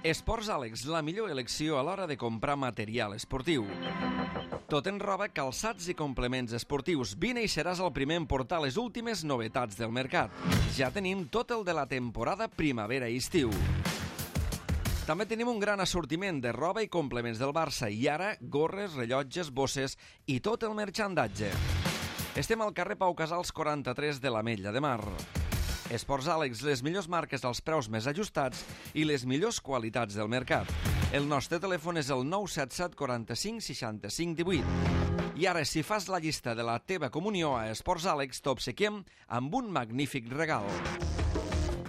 Esports Àlex, la millor elecció a l'hora de comprar material esportiu. Tot en roba, calçats i complements esportius. Vine i seràs el primer en portar les últimes novetats del mercat. Ja tenim tot el de la temporada primavera i estiu. També tenim un gran assortiment de roba i complements del Barça i ara gorres, rellotges, bosses i tot el merchandatge. Estem al carrer Pau Casals 43 de l'Ametlla de Mar. Esports Àlex, les millors marques als preus més ajustats i les millors qualitats del mercat. El nostre telèfon és el 977 45 65 18. I ara, si fas la llista de la teva comunió a Esports Àlex, t'obsequiem amb un magnífic regal.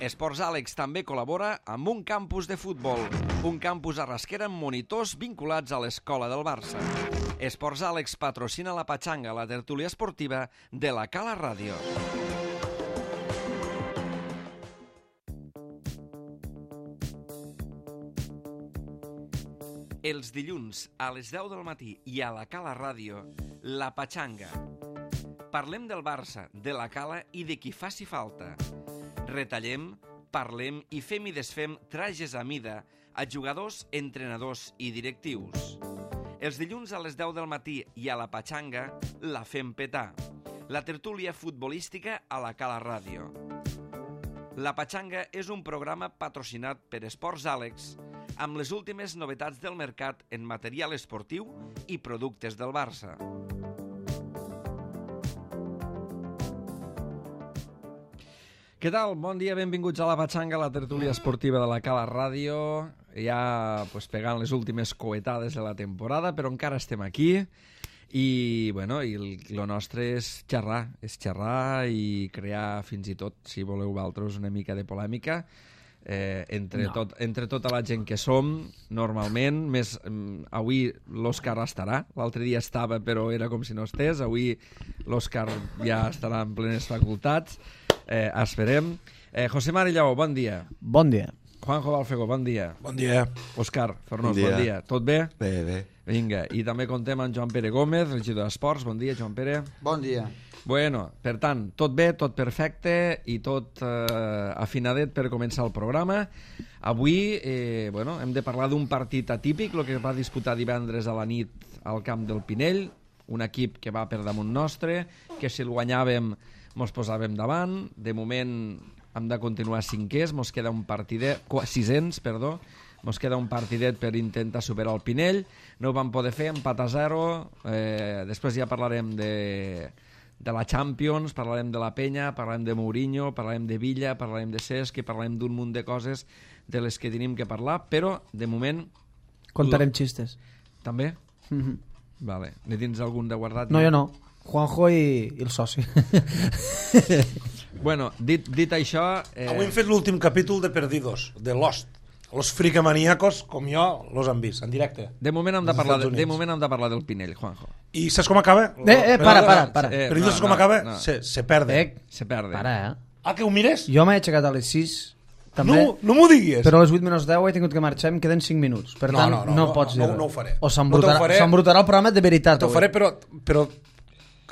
Esports Àlex també col·labora amb un campus de futbol, un campus a Rasquera amb monitors vinculats a l'escola del Barça. Esports Àlex patrocina la Patxanga, la tertúlia esportiva de la Cala Ràdio. Els dilluns a les 10 del matí i a la Cala Ràdio, la Patxanga. Parlem del Barça, de la Cala i de qui faci falta. Retallem, parlem i fem i desfem trajes a mida a jugadors, entrenadors i directius. Els dilluns a les 10 del matí i a la Patxanga la fem petar. La tertúlia futbolística a la Cala Ràdio. La Patxanga és un programa patrocinat per Esports Àlex amb les últimes novetats del mercat en material esportiu i productes del Barça. Què tal? Bon dia, benvinguts a la Patxanga, la tertúlia esportiva de la Cala Ràdio. Ja pegant les últimes coetades de la temporada, però encara estem aquí. I el nostre és xerrar i crear fins i tot, si voleu vosaltres, una mica de polèmica entre tota la gent que som normalment. Avui l'Òscar estarà, l'altre dia estava però era com si no estés, avui l'Òscar ja estarà en plenes facultats, esperem. José Mari Lleó, bon dia. Bon dia. Juanjo Balfego, bon dia. Bon dia. Òscar Fornós, bon dia. Tot bé? Bé. Vinga, i també contem amb Joan Pere Gómez, regidor d'Esports. Bon dia, Joan Pere. Bon dia. Bueno, per tant, tot bé, tot perfecte i tot afinadet per començar el programa. Avui hem de parlar d'un partit atípic, el que es va disputar divendres a la nit al camp del Pinell, un equip que va per damunt nostre, que si el guanyàvem mos posàvem davant. De moment hem de continuar cinquers, mos queda un partidet, sisens, perdó, mos queda un partidet per intentar superar el Pinell. No ho vam poder fer, empat a 0. Després ja parlarem de la Champions, parlarem de la Penya, parlarem de Mourinho, parlarem de Villa, parlarem de Cesc, parlarem d'un munt de coses de les que tenim que parlar, però de moment... Contarem xistes. També? Vale. Ne tens algun de guardat? No, jo no. Juanjo i el soci. Bueno, dit això... Avui hem fet l'últim capítol de Perdidos, de Lost. Los fricamaníacos, com jo, los han vist, en directe. De moment hem de parlar del Pinell, Juanjo. I saps com acaba? Para. Perdidos com acaba? No. Se perde. Se perde. Para, Ah, que ho mires? Jo m'he aixecat a les 6. També, no m'ho diguis. però a les 8 menys 10 he tingut que marxar, em queden 5 minuts. Per tant, no pots dir-ho. No ho faré. O s'embrutarà el programa de veritat. T'ho faré, però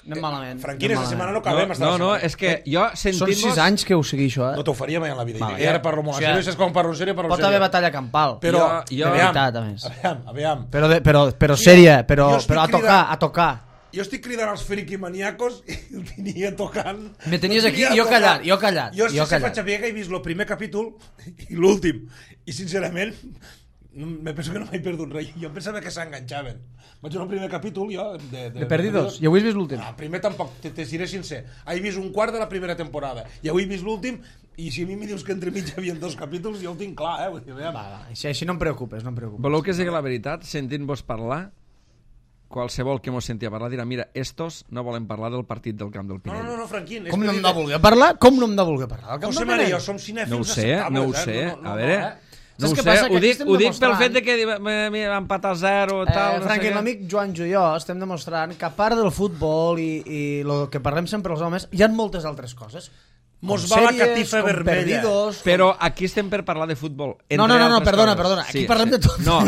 anem malament. Franquina, esta setmana no acabem. No, és que jo sentint-vos... Són 6 anys que ho segueixo, això, No t'ho faria mai en la vida. I ara parlo molt en sèrio, saps quan parlo en sèrio? Pot haver batalla campal. Però, de veritat, a més. Aviam. Però sèria, però a tocar. Jo estic cridant als friquimaniacos i el tenia tocant. Me tenies aquí, jo callat. Jo faig a que he vist el primer capítol i l'últim. I sincerament, me penso que no m'he perdut res. Jo pensava que s'enganxaven. Vaig veure el primer capítol jo de Perdidos. I avui he vist l'últim. Primer tampoc, te diré sincer. He vist un quart de la primera temporada i avui he vist l'últim. I si a mi em dius que entre mig hi havia 2 capítols, jo ho tinc clar, Vull dir, així no em preocupes, Voleu que sigui la veritat? Sentint-vos parlar, qualsevol que mos sentia parlar dirà, mira, estos no volen parlar del partit del camp del Pinell. No, Franquín. Com no hem de voler parlar? Com no hem de voler parlar? José Maria i jo som cinèfils no ho sé. A veure... No ho sé, ho dic pel fet de que vam empatar 0 tal... Franqui, l'amic Joan i jo estem demostrant que a part del futbol i el que parlem sempre els homes, hi ha moltes altres coses. Mos va la catifa vermella. Però aquí estem per parlar de futbol. No, perdona. Aquí parlem de tot. No.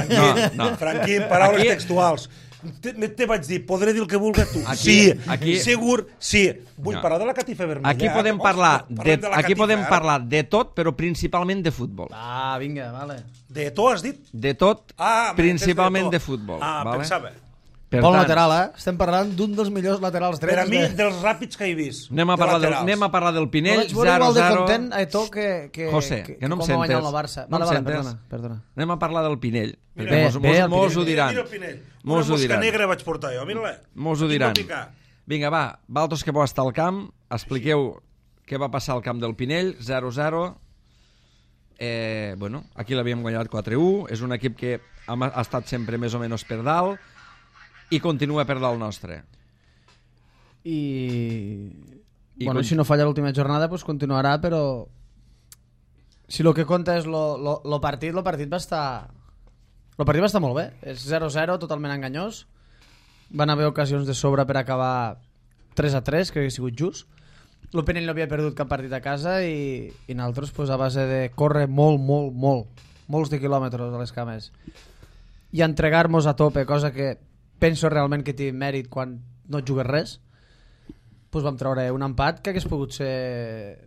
Franquí, paraules textuals. Te vaig dir, podré dir el que vulgui tu. Aquí, segur, sí. Vull parlar de la catifa vermella. Aquí podem parlar de tot, però principalment de futbol. Vinga, vale. De tot, has dit? De tot, principalment de futbol. Pensava. Bon lateral, Estem parlant d'un dels millors laterals drets. Per a mi, dels ràpids que he vist. Anem a parlar del Pinell, 0-0. Vaig igual de content a Eto que José, que no em sentes. Vale, perdona. Anem a parlar del Pinell. Mos ho diran. Una mosca negra vaig portar jo, mira-la. Mos ho diran. Vinga, va, vosaltres que vau estar al camp, expliqueu què va passar al camp del Pinell, 0-0. Aquí l'havíem guanyat 4-1. És un equip que ha estat sempre més o menys per dalt i continua per dalt nostre. Si no falla l'última jornada, pues continuarà, però si el que compta és el partit va estar... El partit va estar molt bé. És 0-0, totalment enganyós. Van haver ocasions de sobre per acabar 3-3, que hauria sigut just. El Pinell no havia perdut cap partit a casa i nosaltres, pues, a base de córrer molts de quilòmetres a les cames i entregar-nos a tope, cosa que penso realment que té mèrit quan no et jugues res, doncs vam treure un empat que hagués pogut ser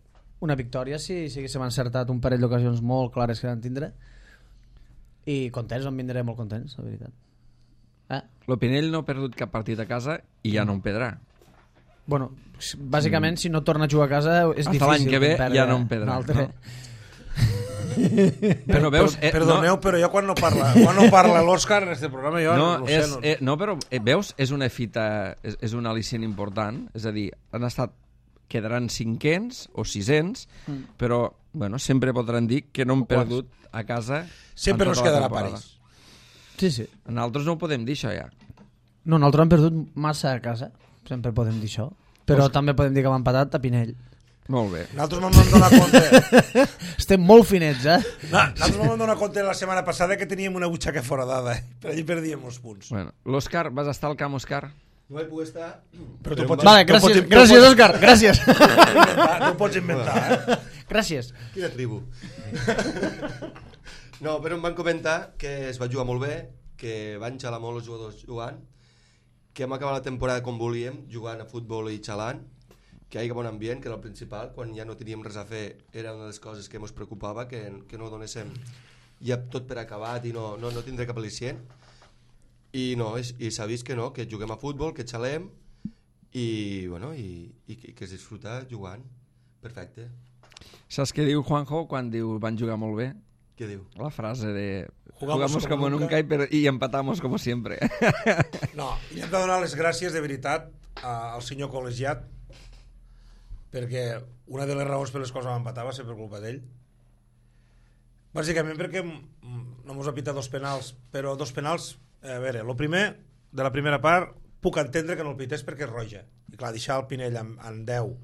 una victòria si haguéssim encertat un parell d'ocasions molt clares que vam tindre, i contents, vam vindre molt contents, la veritat. El Pinell no ha perdut cap partit a casa i ja no en perdrà. Bueno, bàsicament, si no torna a jugar a casa és difícil. Hasta l'any que ve ja no en perdrà. Però veus... Perdoneu, però jo quan no parla l'Òscar en este programa però veus, és una fita, és un al·licient important, és a dir, quedaran 500 o 600, però sempre podran dir que no han perdut a casa. Sempre no es quedarà a París. Sí. Nosaltres no ho podem dir, això ja. No, nosaltres hem perdut massa a casa, sempre podem dir això, però també podem dir que hem empatat a Pinell. Molt bé. Nosaltres no vam donar compte. Estem molt finets, Nosaltres no vam donar compte la setmana passada que teníem una butxaca foradada, per allí perdíem els punts. L'Òscar, vas estar al camp, Òscar? No vaig poder estar... Vale, gràcies, Òscar, gràcies. No ho pots inventar, Gràcies. Quina tribu. No, però em van comentar que es va jugar molt bé, que van xalar molt els jugadors jugant, que hem acabat la temporada com volíem, jugant a futbol i xalant, que hi ha bon ambient, que era el principal. Quan ja no teníem res a fer era una de les coses que ens preocupava, que no donéssim ja tot per acabat i no tindré cap al·licient. I s'ha vist que no, que juguem a futbol, que xalem i que es disfruta jugant. Perfecte. Saps què diu Juanjo quan diu van jugar molt bé? Què diu? La frase de jugamos como nunca y empatamos como siempre. No, i hem de donar les gràcies de veritat al senyor col·legiat, perquè una de les raons per les quals vam empatar va ser per culpa d'ell. Bàsicament perquè no mos ha pitat dos penals, però dos penals, a veure, el primer, de la primera part, puc entendre que no el pités perquè és roja. I clar, deixar el Pinell en 10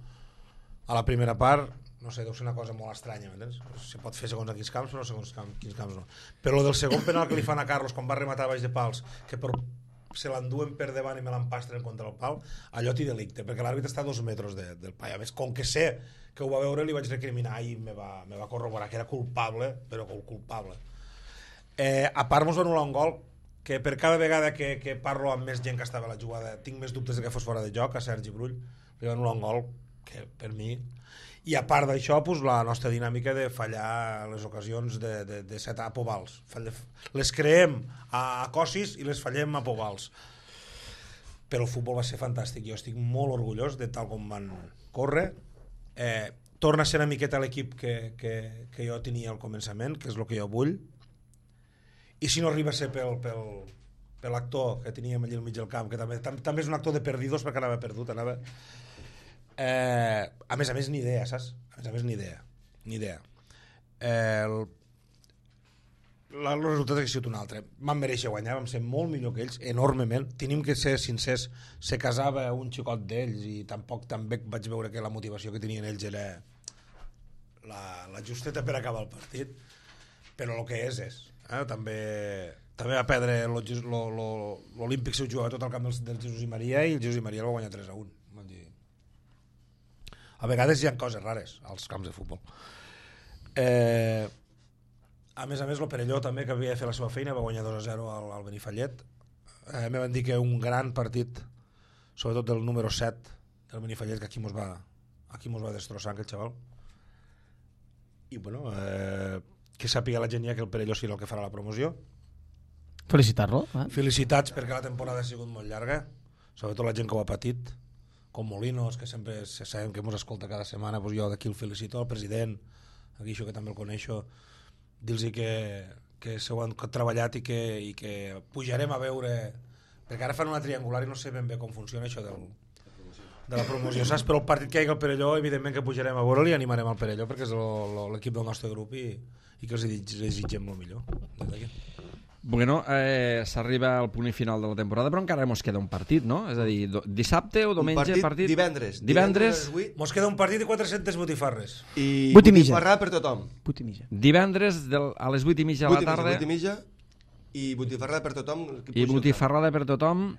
a la primera part, no sé, deu ser una cosa molt estranya, m'entens? Se pot fer segons quins camps, però no segons quins camps no. Però el del segon penal que li fan a Carlos quan va rematar baix de pals, que se l'enduen per davant i me l'empastren contra el pal, allò té delicte, perquè l'àrbitre està a 2 metres del pal. A més, com que sé que ho va veure, li vaig recriminar i me va corroborar que era culpable, però culpable. A part, mos va anul·lar un gol que per cada vegada que parlo amb més gent que estava a la jugada tinc més dubtes de que fos fora de joc. A Sergi Brull li va anul·lar un gol que per mi... I a part d'això, pues, la nostra dinàmica de fallar les ocasions de set a Povals. Les creem a Cossis i les fallem a Povals. Però el futbol va ser fantàstic. Jo estic molt orgullós de tal com van córrer. Torna a ser una miqueta l'equip que jo tenia al començament, que és el que jo vull. I si no arriba a ser per l'actor que teníem allà al mig del camp, que també és un actor de perdidos perquè anava perdut, a més, ni idea, saps? A més, ni idea. El resultat ha sigut un altre. Vam mereixer guanyar, vam ser molt millor que ells, enormement. Tenim que ser sincers, se casava un xicot d'ells i tampoc també vaig veure que la motivació que tenien ells era la justeta per acabar el partit, però el que és. També va perdre l'Olímpic si ho jugava tot el camp del Jesús i Maria i el Jesús i Maria el va guanyar 3-1. A vegades hi ha coses rares als camps de futbol. A més, el Perelló també, que havia de fer la seva feina, va guanyar 2-0 al Benifallet. me van dir que un gran partit, sobretot del número 7 del Benifallet, que aquí mos va destrossar aquell xaval. I bueno, que sàpiga la gent ja que el Perelló serà el que farà la promoció. Felicitar-lo. Felicitats perquè la temporada ha sigut molt llarga, sobretot la gent que ho ha patit, com Molinos, que sempre sabem que ens escolta cada setmana, doncs jo d'aquí el felicito, al president, aquí això que també el coneixo, dir-los que s'ho han treballat i que pujarem a veure, perquè ara fan una triangular i no sé ben bé com funciona això de la promoció, saps? Però el partit que hi ha al Perelló, evidentment que pujarem a veure-li i animarem al Perelló perquè és l'equip del nostre grup i que els desitgem el millor des d'aquí. Bueno, s'arriba al punt final de la temporada, però encara mos queda un partit, no? És a dir, dissabte o diumenge partit? Divendres. Mos queda un partit de 400 botifarres. I 8 i mitja. botifarra per tothom. 8 i mitja. Divendres a les 8 i mitja de la tarda. 8 i mitja i botifarra per tothom. I botifarrada per tothom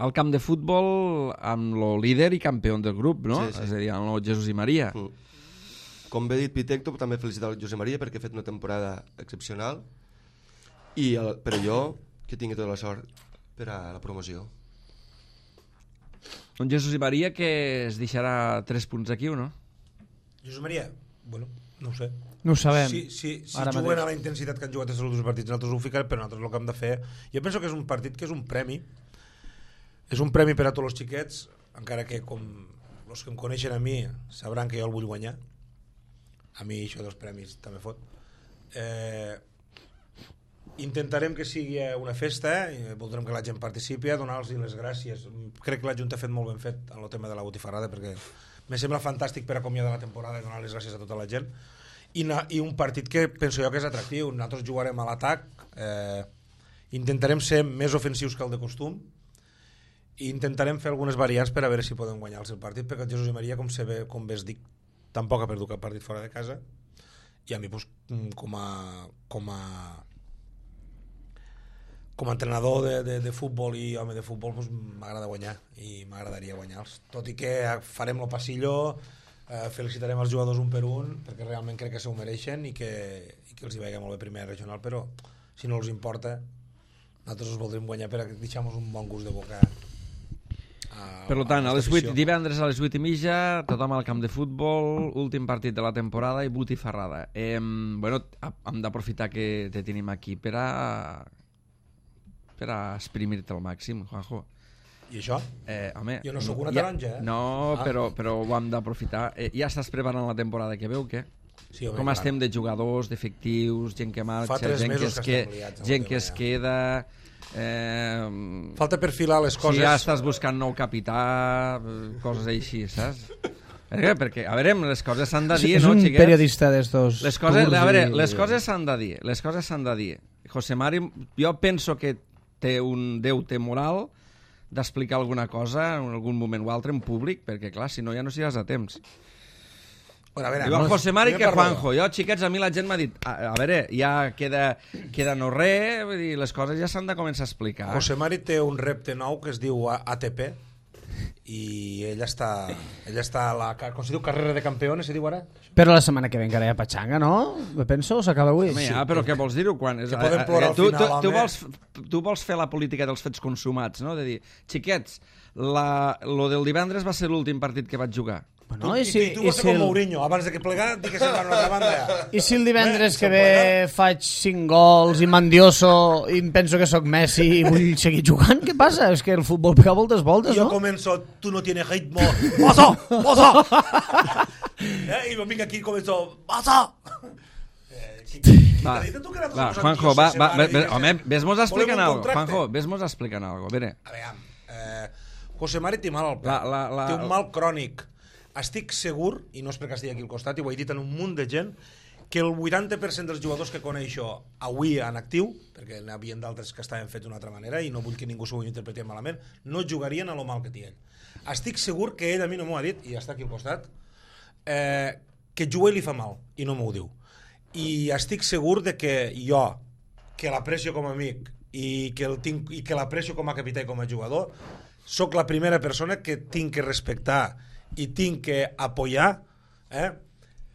al camp de futbol amb el líder i campió del grup, no? Sí. És a dir, amb el Jesús i Maria. Com bé dit Pitecto, també felicitar el José Maria perquè ha fet una temporada excepcional i el Perelló que tingui tota la sort per a la promoció. Un Jesús i Maria que es deixarà 3 punts aquí o no? Josep Maria, bueno, no ho sé. No ho sabem. Si juguen a la intensitat que han jugat els últims partits, nosaltres ho ficarem, però nosaltres el que hem de fer... Jo penso que és un partit que és un premi. És un premi per a tots els xiquets, encara que com els que em coneixen a mi sabran que jo el vull guanyar. A mi això dels premis també fot. Intentarem que sigui una festa, voldrem que la gent participi, donar-los les gràcies. Crec que la Junta ha fet molt ben fet en el tema de la botifarrada, perquè me sembla fantàstic per acomiadar la temporada i donar les gràcies a tota la gent. I un partit que penso jo que és atractiu. Nosaltres jugarem a l'atac, intentarem ser més ofensius que el de costum i intentarem fer algunes variants per a veure si podem guanyar el seu partit, perquè el Jesús i Maria, com bé es dic, tampoc ha perdut cap partit fora de casa, i a mi pues, com a entrenador de futbol i home de futbol pues, m'agrada guanyar i m'agradaria guanyar-los, tot i que farem el passillo, felicitarem els jugadors un per un perquè realment crec que s'ho mereixen i que els hi vagi molt bé primera regional, però si no els importa nosaltres els voldrem guanyar per deixar-nos un bon gust de boca. Per tant, divendres a les 8 i mitja, tothom al camp de futbol, últim partit de la temporada i botifarrada. Bueno, hem d'aprofitar que te tenim aquí per a exprimir-te al màxim, Juanjo. I això? Home, jo no sóc una taronja, No, però ho hem d'aprofitar. Ja estàs preparant la temporada que veu, què? Sí, home, com estem de jugadors, d'efectius, gent que marxa, gent que es queda... falta perfilar les coses. Si ja estàs buscant nou capità, coses així, saps? Perquè, a veure, les coses s'han de dir, no, xiquets? És un periodista d'estos... Les coses s'han de dir, les coses s'han de dir. José Mari, jo penso que té un deute moral d'explicar alguna cosa en algun moment o altre en públic, perquè, clar, si no, ja no seràs a temps. Igual José Mari que Juanjo. Jo, xiquets, a mi la gent m'ha dit a veure, ja queda no res, vull dir, les coses ja s'han de començar a explicar. José Mari té un repte nou que es diu ATP i ell està a la, com se diu, carrera de campeones, se diu ara? Però la setmana que ve encara hi ha patxanga, no? Me penso, s'acaba avui. Home, ja, però què vols dir-ho? Que podem plorar al final, home. Tu vols fer la política dels fets consumats, no? De dir, xiquets, lo del divendres va ser l'últim partit que vaig jugar. Bueno, tu vas ser com Mourinho, abans de que plegar, dic que se'n va a una altra banda ja. I si el divendres que ve faig 5 gols i mandioso i em penso que sóc Messi i vull seguir jugant, què passa? És que el futbol pega moltes voltes, no? Jo començo, tu no tienes ritmo, ¡Mozo! I vinc aquí i començo, ¡Mozo! Va, Juanjo, home, ves-mos explicant algo. Juanjo, ves-mos explicant algo. A veure, José Mari té mal al peu, té un mal crònic. Estic segur, i no és perquè estigui aquí al costat, i ho he dit en un munt de gent, que el 80% dels jugadors que coneixo avui en actiu, perquè n'hi havia d'altres que estaven fets d'una altra manera i no vull que ningú s'ho interpreti malament, no jugarien a lo mal que té ell. Estic segur que ell a mi no m'ho ha dit, i està aquí al costat, que jugar li fa mal, i no m'ho diu. I estic segur de que jo, que l'aprecio com a amic i que l'aprecio com a capità i com a jugador, sóc la primera persona que tinc que respectar i tinc que apoyar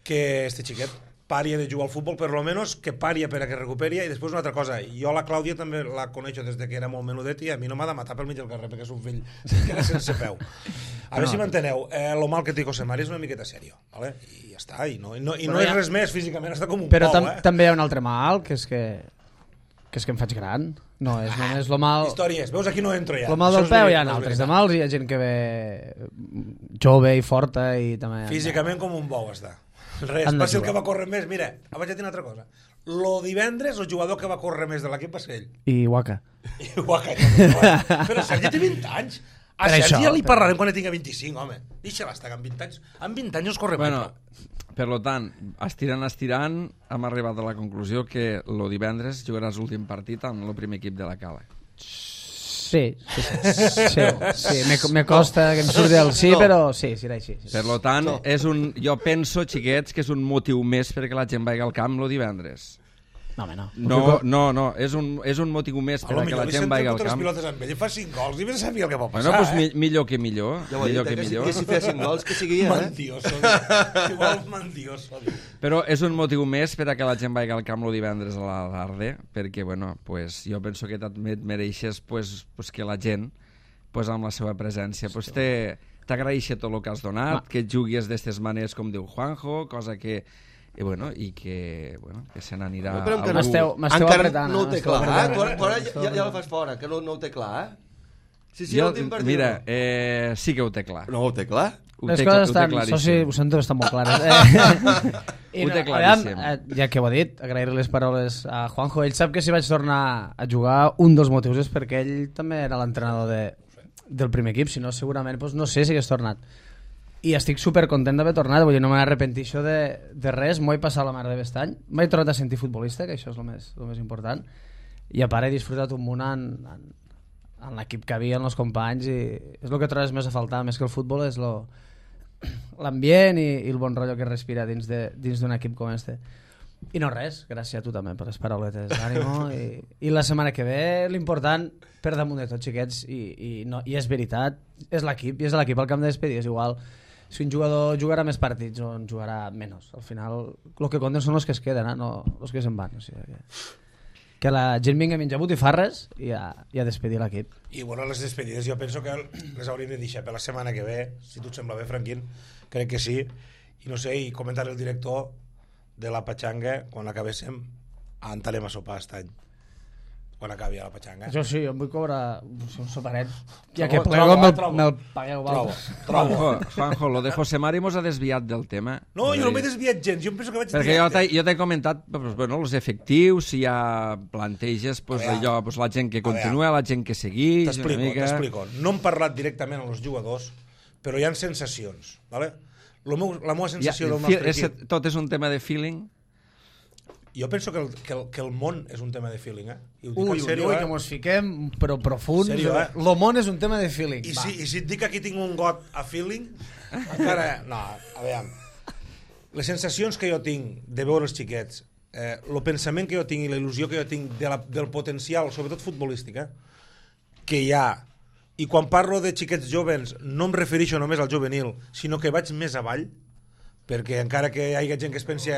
que este xiquet paria de jugar al futbol, per lo menos que paria per a que recuperi. I després una altra cosa, jo la Clàudia també la coneixo des de que era molt menudet i a mi no m'ha de matar pel mig del carrer perquè és un fill que era sense peu. A veure si m'enteneu, lo mal que té José Mari és una miqueta sèrio, ¿vale? I ja està, i no és res més físicament, està com un però pou, també hi ha un altre mal, que és que em faig gran. No, és només lo mal... Històries, veus, aquí no entro ja. Lo mal del peu hi ha altres de mals, hi ha gent que ve jove i forta i també... Físicament com un bou està. Res, va ser el que va córrer més. Mira, vaig a dir una altra cosa. Lo divendres, el jugador que va córrer més de l'equip va ser ell. I Waka. Però Sergi té 20 anys. A Sergi ja li parlarem quan tingui 25, home. Deixa-la estar, amb 20 anys. Amb 20 anys no es corre bueno, per tant, estirant, hem arribat a la conclusió que el divendres jugaràs l'últim partit amb el primer equip de la Cala. Sí. Me costa que em surti el sí, però sí, serà així. Per tant, jo penso, xiquets, que és un motiu més perquè la gent vagi al camp el divendres. No, home, no, és un motiu més per que la gent vagi al camp. Pilotes amb ell i fa 5 gols i vés a saber el que pot passar. Bueno, doncs millor que millor. Ja ho he dit, que si feia 5 gols, que sigui, Mandioso. Però és un motiu més per a que la gent vagi al camp el divendres a la tarda, perquè, bueno, pues, jo penso que també et mereixes pues, que la gent, pues, amb la seva presència, pues, t'agraeixi tot el que has donat, que juguis d'aquestes maneres com diu Juanjo, cosa que... I que se n'anirà... M'esteu apretant. No ho té clar, ja el fas fora, que no ho té clar, Mira, sí que ho té clar. No ho té clar? Les coses estan, soci, ho sento, estan molt clares. Ho té claríssim. Ja que ho ha dit, agrair les paraules a Juanjo. Ell sap que si vaig tornar a jugar, un dels motius és perquè ell també era l'entrenador del primer equip, si no segurament no sé si hagués tornat. I estic supercontent d'haver tornat, vull dir, no m'arrepenteixo de res, m'ho he passat la mar de best any, m'he tornat a sentir futbolista, que això és el més important, i a part he disfrutat un munt en l'equip que havia, en els companys, i és el que trobes més a faltar, més que el futbol, és l'ambient i el bon rotllo que respira dins d'un equip com este. I no res, gràcies a tu també per les parauletes d'ànimo, i la setmana que ve l'important, per damunt de tot, xiquets, i és veritat, és l'equip, i és l'equip al camp de despedir, és igual si un jugador jugarà més partits o en jugarà menys. Al final, el que compten són els que es queden, no els que se'n van. O sigui, que la gent vingui a menjar botifarres i a despedir l'equip. I bueno, les despedides jo penso que les hauríem de deixar per la setmana que ve, si tu et sembla bé, Franquín, crec que sí. I no sé, i comentar el director de la Patxanga, quan acabéssim, entrarem a sopar aquest any. Quan acabi a la Patxanga. Jo sí, jo em vull cobrar un soparet. Ja que plego me'l pagueu. Trobo. Juanjo, lo de José Mari mos ha desviat del tema. No, jo no m'he desviat gens, jo penso que vaig... Perquè jo t'he comentat els efectius, si hi ha planteges, allò, la gent que continua, la gent que segueix... T'explico. No hem parlat directament amb els jugadors, però hi ha sensacions, ¿vale? La meva sensació del nostre equip... Tot és un tema de feeling? Jo penso que el món és un tema de feeling, I ho dic en sèrio, que mos fiquem però profuns. El món és un tema de feeling. I si et dic que aquí tinc un got a feeling, encara... No, a veure... Les sensacions que jo tinc de veure els xiquets, el pensament que jo tinc i la il·lusió que jo tinc del potencial, sobretot futbolístic, que hi ha, i quan parlo de xiquets joves no em refereixo només al juvenil, sinó que vaig més avall, perquè encara que hi hagi gent que es pensi...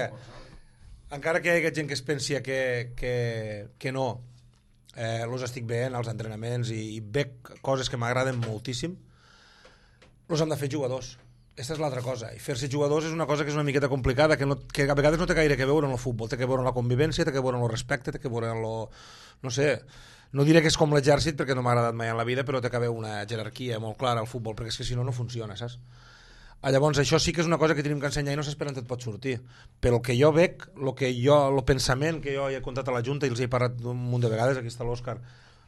Encara que hi hagi gent que es pensi que no, els estic veient als entrenaments i veig coses que m'agraden moltíssim, els hem de fer jugadors. Aquesta és l'altra cosa. I fer-se jugadors és una cosa que és una miqueta complicada, que a vegades no té gaire que veure amb el futbol, té que veure amb la convivència, té que veure amb el respecte, té que veure amb no sé, no diré que és com l'exèrcit perquè no m'ha agradat mai en la vida, però té que haver una jerarquia molt clara al futbol, perquè és que si no funciona, saps? Llavors això sí que és una cosa que tenim que ensenyar i no s'espera on et pot sortir, però el que jo veig, el pensament que jo he contat a la Junta i els he parlat un munt de vegades, aquí està l'Òscar,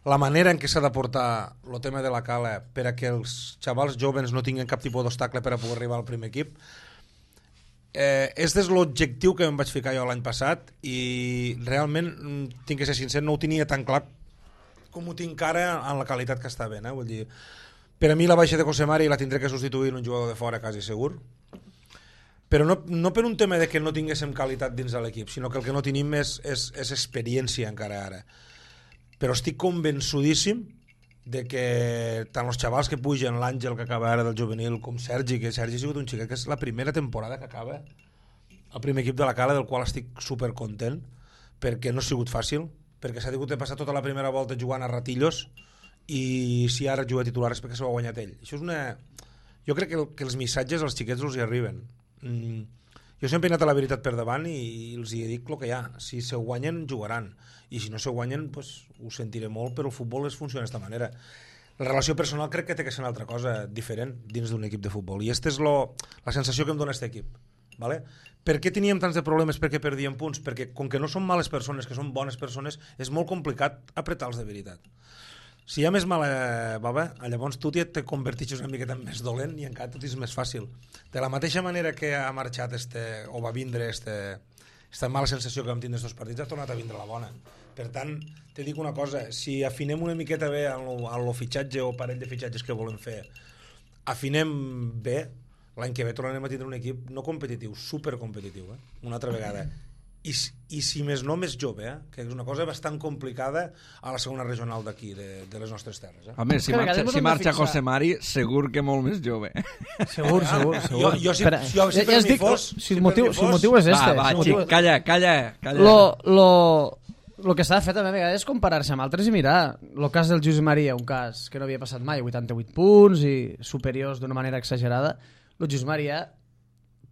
la manera en què s'ha de portar el tema de la Cala per a que els xavals joves no tinguin cap tipus d'obstacle per a poder arribar al primer equip, és l'objectiu que em vaig ficar jo l'any passat i realment, tinc que ser sincer, no ho tenia tan clar com ho tinc ara en la qualitat que està ben, vull dir... Per a mi la baixa de José Mari la tindré que substituir en un jugador de fora quasi segur, però no per un tema de que no tinguéssim qualitat dins de l'equip, sinó que el que no tenim és experiència encara ara. Però estic convençudíssim de que tant els xavals que pugen, l'Àngel que acaba ara del juvenil, com Sergi, que Sergi ha sigut un xiquet que és la primera temporada que acaba el primer equip de la Cala, del qual estic supercontent, perquè no ha sigut fàcil, perquè s'ha hagut de passar tota la primera volta jugant a ratillos, i si ara juga titular és perquè s'ho ha guanyat ell. Això és una... Jo crec que els missatges als xiquets els hi arriben. Jo sempre he anat a la veritat per davant i els hi dic el que hi ha. Si se guanyen, jugaran. I si no se guanyen, pues, ho sentiré molt, però el futbol funciona d'aquesta manera. La relació personal crec que té que ser una altra cosa diferent dins d'un equip de futbol. I aquesta és la sensació que em dona aquest equip. Vale? Per què teníem tants de problemes? Per què perdíem punts? Perquè com que no són males persones, que són bones persones, és molt complicat apretar-los de veritat. Si hi ha més mala baba, llavors tu te converteixes una miqueta en més dolent i encara tot és més fàcil. De la mateixa manera que ha marxat o va vindre esta mala sensació que vam tindre estos partits, ha tornat a vindre la bona. Per tant, te dic una cosa, si afinem una miqueta bé en el fitxatge o parell de fitxatges que volem fer, afinem bé, l'any que ve tornarem a tindre un equip no competitiu, supercompetitiu, una altra vegada. I si més no, més jove, que és una cosa bastant complicada a la segona regional d'aquí, de les nostres terres. Home, si marxa José Mari, segur que molt més jove. Segur. Jo si per mi fos... Si el motiu és este. Va, xic, calla. Lo que s'ha de fer també a vegades és comparar-se amb altres i mirar. El cas del Josep Maria, un cas que no havia passat mai, 88 punts i superiors d'una manera exagerada. El Josep Maria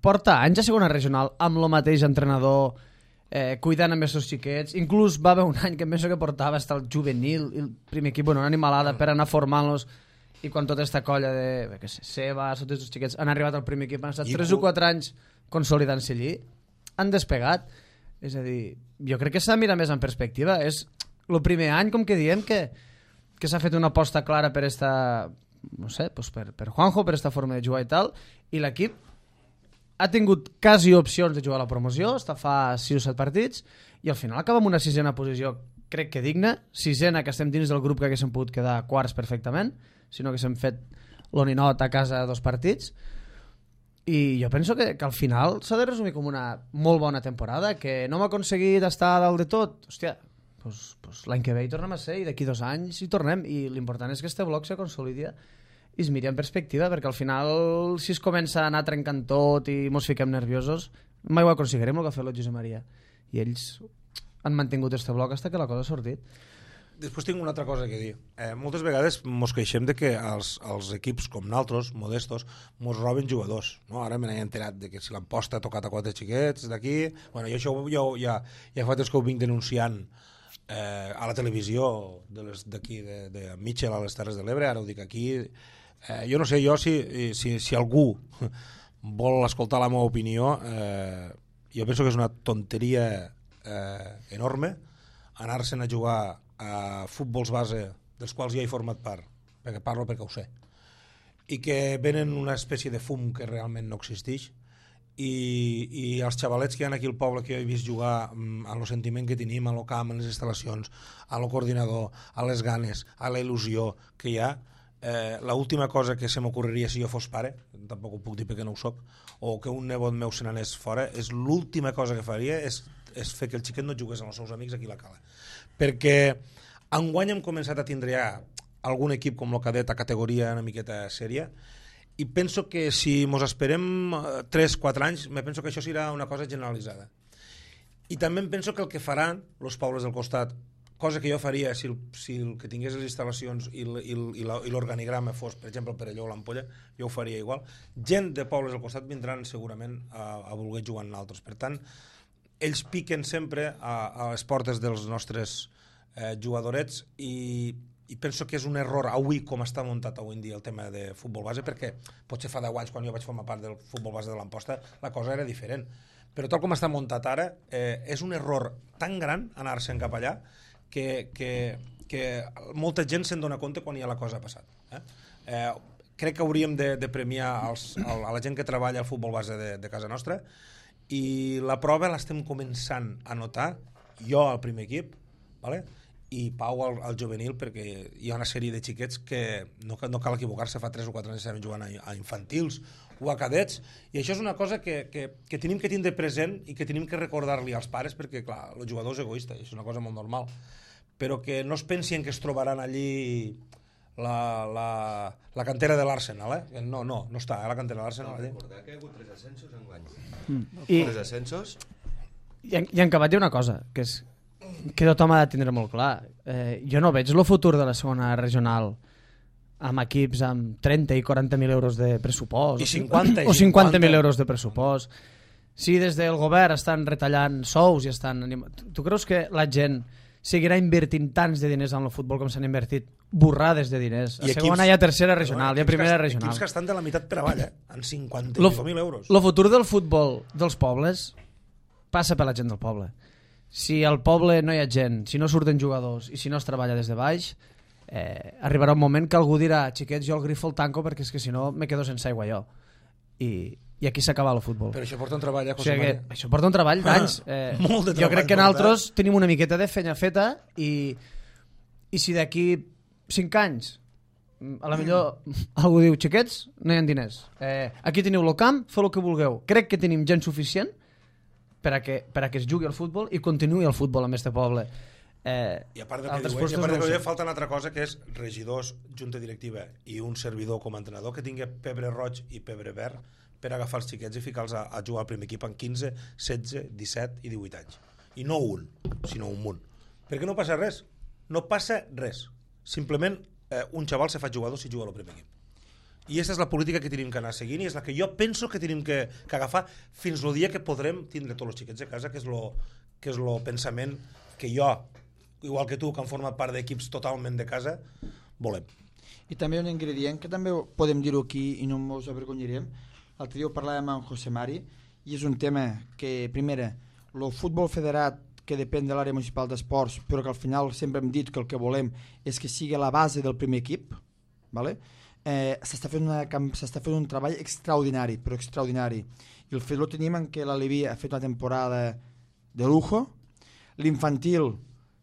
porta anys a segona regional amb el mateix entrenador, cuidant amb els seus xiquets. Inclús va haver un any que em penso que portava hasta el juvenil, el primer equip, una animalada per anar formant-los, i quan tota aquesta colla de Sebas, tots els xiquets han arribat al primer equip, han estat 3 o 4 anys consolidant-se allí, han despegat. És a dir, jo crec que s'ha de mirar més en perspectiva. És el primer any, com que diem, que s'ha fet una aposta clara per esta, no sé, pues per Juanjo, per esta forma de jugar i tal, i l'equip ha tingut quasi opcions de jugar a la promoció, està fa 6 o 7 partits, i al final acaba amb una 6a posició, crec que digna, 6a que estem dins del grup que haguéssim pogut quedar quarts perfectament, sinó que s'hem fet l'oninot a casa 2 partits, i jo penso que al final s'ha de resumir com una molt bona temporada, que no hem aconseguit estar a dalt de tot, hòstia, pues l'any que ve hi tornem a ser, i d'aquí 2 anys hi tornem, i l'important és que este bloc se consolidi i es miri en perspectiva, perquè al final si es comença a anar trencant tot i mos fiquem nerviosos, mai ho aconseguirem el que ha fet el Josep Maria, i ells han mantingut este bloc fins que la cosa ha sortit. Després tinc una altra cosa que dir. Moltes vegades mos queixem de que els equips com naltros, modestos, mos roben jugadors, no? Ara me n'he enterat de que si l'emposta ha tocat a 4 xiquets d'aquí, bueno, jo això ja fa temps que ho vinc denunciant a la televisió d'aquí, de Mitchell, a les Terres de l'Ebre, ara ho dic aquí. Jo no sé, si algú vol escoltar la meva opinió, jo penso que és una tonteria enorme anar-se'n a jugar a futbols base dels quals ja he format part, perquè parlo perquè ho sé, i que venen una espècie de fum que realment no existeix, i els xavalets que hi ha aquí al poble que jo he vist jugar amb el sentiment que tenim a lo camp, a les instal·lacions, a lo coordinador, a les ganes, a la il·lusió que hi ha, l'última cosa que se m'ocorreria si jo fos pare, tampoc ho puc dir perquè no ho soc, o que un nebot meu se n'anés fora, és l'última cosa que faria és fer que el xiquet no jugués amb els seus amics aquí a la Cala, perquè enguany hem començat a tindre ja algun equip com el cadet a categoria una miqueta sèria, i penso que si mos esperem 3-4 anys, me penso que això serà una cosa generalitzada. I també em penso que el que faran els pobles del costat, cosa que jo faria si el que tingués les instal·lacions i l'organigrama fos, per exemple, el Perelló o l'Ampolla, jo ho faria igual. Gent de pobles del costat vindran segurament a voler jugar en altres. Per tant, ells piquen sempre a les portes dels nostres jugadorets, i penso que és un error avui com està muntat avui en dia el tema de futbol base, perquè potser fa 10 anys quan jo vaig formar part del futbol base de l'Amposta la cosa era diferent, però tal com està muntat ara és un error tan gran anar-se'n cap allà que molta gent se'n dona compte quan ja la cosa ha passat. Crec que hauríem de premiar a la gent que treballa al futbol base de casa nostra, i la prova l'estem començant a notar, jo al primer equip, vale? I Pau al juvenil, perquè hi ha una sèrie de xiquets que no cal equivocar-se, fa 3 o 4 anys estaven jugant a infantils o a cadets, i això és una cosa que tenim que tindre present i que tenim que recordar-li als pares, perquè clar, el jugador és egoista i és una cosa molt normal, però que no es pensin que es trobaran allí la cantera de l'Arsenal, no està a la cantera de l'Arsenal. Recordar que hi ha hagut 3 ascensos enguany. I 3 ascensos. en acabat hi ha una cosa, que és que tothom ha de tindre molt clar. Jo no veig el futur de la segona regional amb equips amb 30 i 40.000 euros de pressupost I 50, o 50.000 euros de pressupost. Si des del govern estan retallant sous i estan tu creus que la gent seguirà invertint tants de diners en el futbol com s'han invertit borrades de diners? A segona hi ha tercera regional, hi ha primera regional. Equips que estan de la meitat per avall, en 50.000 euros. El futur del futbol dels pobles passa per la gent del poble. Si al poble no hi ha gent, si no surten jugadors i si no es treballa des de baix, arribarà un moment que algú dirà xiquets, jo el grifo el tanco perquè és que si no me quedo sense aigua jo. I aquí s'acaba el futbol. Però això porta un treball, José María. Això porta un treball d'anys. Molt de treball. Jo crec que nosaltres tenim una miqueta de feina feta i si d'aquí 5 anys a la millor algú diu xiquets, no hi ha diners. Aquí teniu el camp, feu el que vulgueu. Crec que tenim gent suficient per a que es jugui al futbol i continuï el futbol en este poble. I a part del que diu, falta una altra cosa que és regidors, junta directiva i un servidor com a entrenador que tingui pebre roig i pebre verd per agafar els xiquets i ficar-los a jugar al primer equip en 15, 16, 17 i 18 anys. I no un, sinó un munt. Perquè no passa res. No passa res. Simplement un xaval se fa jugador si juga al primer equip. I aquesta és la política que tenim que anar seguint i és la que jo penso que tenim que agafar fins el dia que podrem tindre tots els xiquets a casa, que és el pensament que jo, igual que tu, que han format part d'equips totalment de casa, volem. I també un ingredient que també podem dir-ho aquí i no ens avergonyirem. L'altre dia ho parlàvem amb José Mari i és un tema que, primera, el futbol federat que depèn de l'àrea municipal d'esports, però que al final sempre hem dit que el que volem és que sigui la base del primer equip, ¿vale? S'està fent un treball extraordinari, però extraordinari. I el fet lo tenim en què l'Aleví ha fet una temporada de lujo, l'infantil